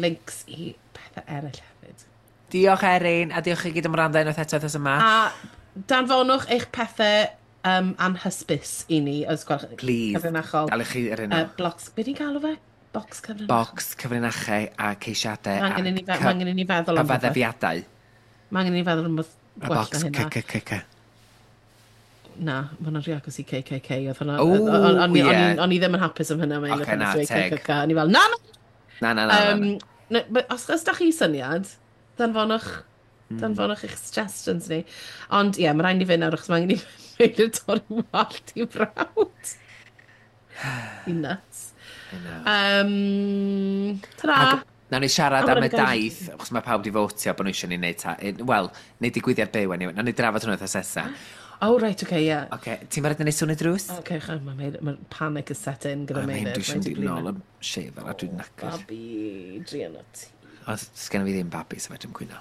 links i pethau eraill hefyd.
Diolch, Erin, a diolch i gyd am wrando unwaith eto wythnos yma.
A danfonwch eich pethau anhysbys i ni, os gwelwch
Please.
Cyfrinachol.
Galwch chi yr un.
Blocs, beth ni'n galw fe? Box cyfrinachol.
Box cyfrinachau a ceisiadau
Mae angen i ni mae angen i ni feddwl am rhywbeth.
Cyfaddefiadau.
Mae angen i ni feddwl am rhywbeth
A
gwell
box
na hynna.
C, C, C, C.
Na, mae hwnna'n rhy agos i KKK. Oedd hwnna.
O, ie.
O'n i ddim yn hapus am hynna. Mae'n
Ocê, na, teg.
KKK. O'n i fel, na, na!
Na, na, na, na, na.
Na, but os da chi syniad, Danfonwch. Danfonwch eich suggestions ni. Ond ie, yeah, mae rhaid ni fynd nawr achos mae angen i Meilir torri wallt i frawd. I nuts. Ta-ra!
Nawn ni siarad am y daith, achos mae pawb di fotio bod nhw eisiau ni wneud ta... Wel, neud digwyddiad byw, anyway. Nawn ni drafod hwnnw wythnos nesa.
Oh, right, okay, yeah.
Okay, ti'n barod i wneud sŵn y drws?
Okay, mae ma panic is set in gyda Meilir.
Dwi eisiau mynd i nôl am shaver a dwi'n knackered.
Babi, druan o ti.
Os sgen fi ddim babi, so fedrwn cwyno.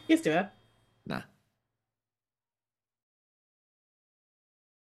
Yes, do it.
Na.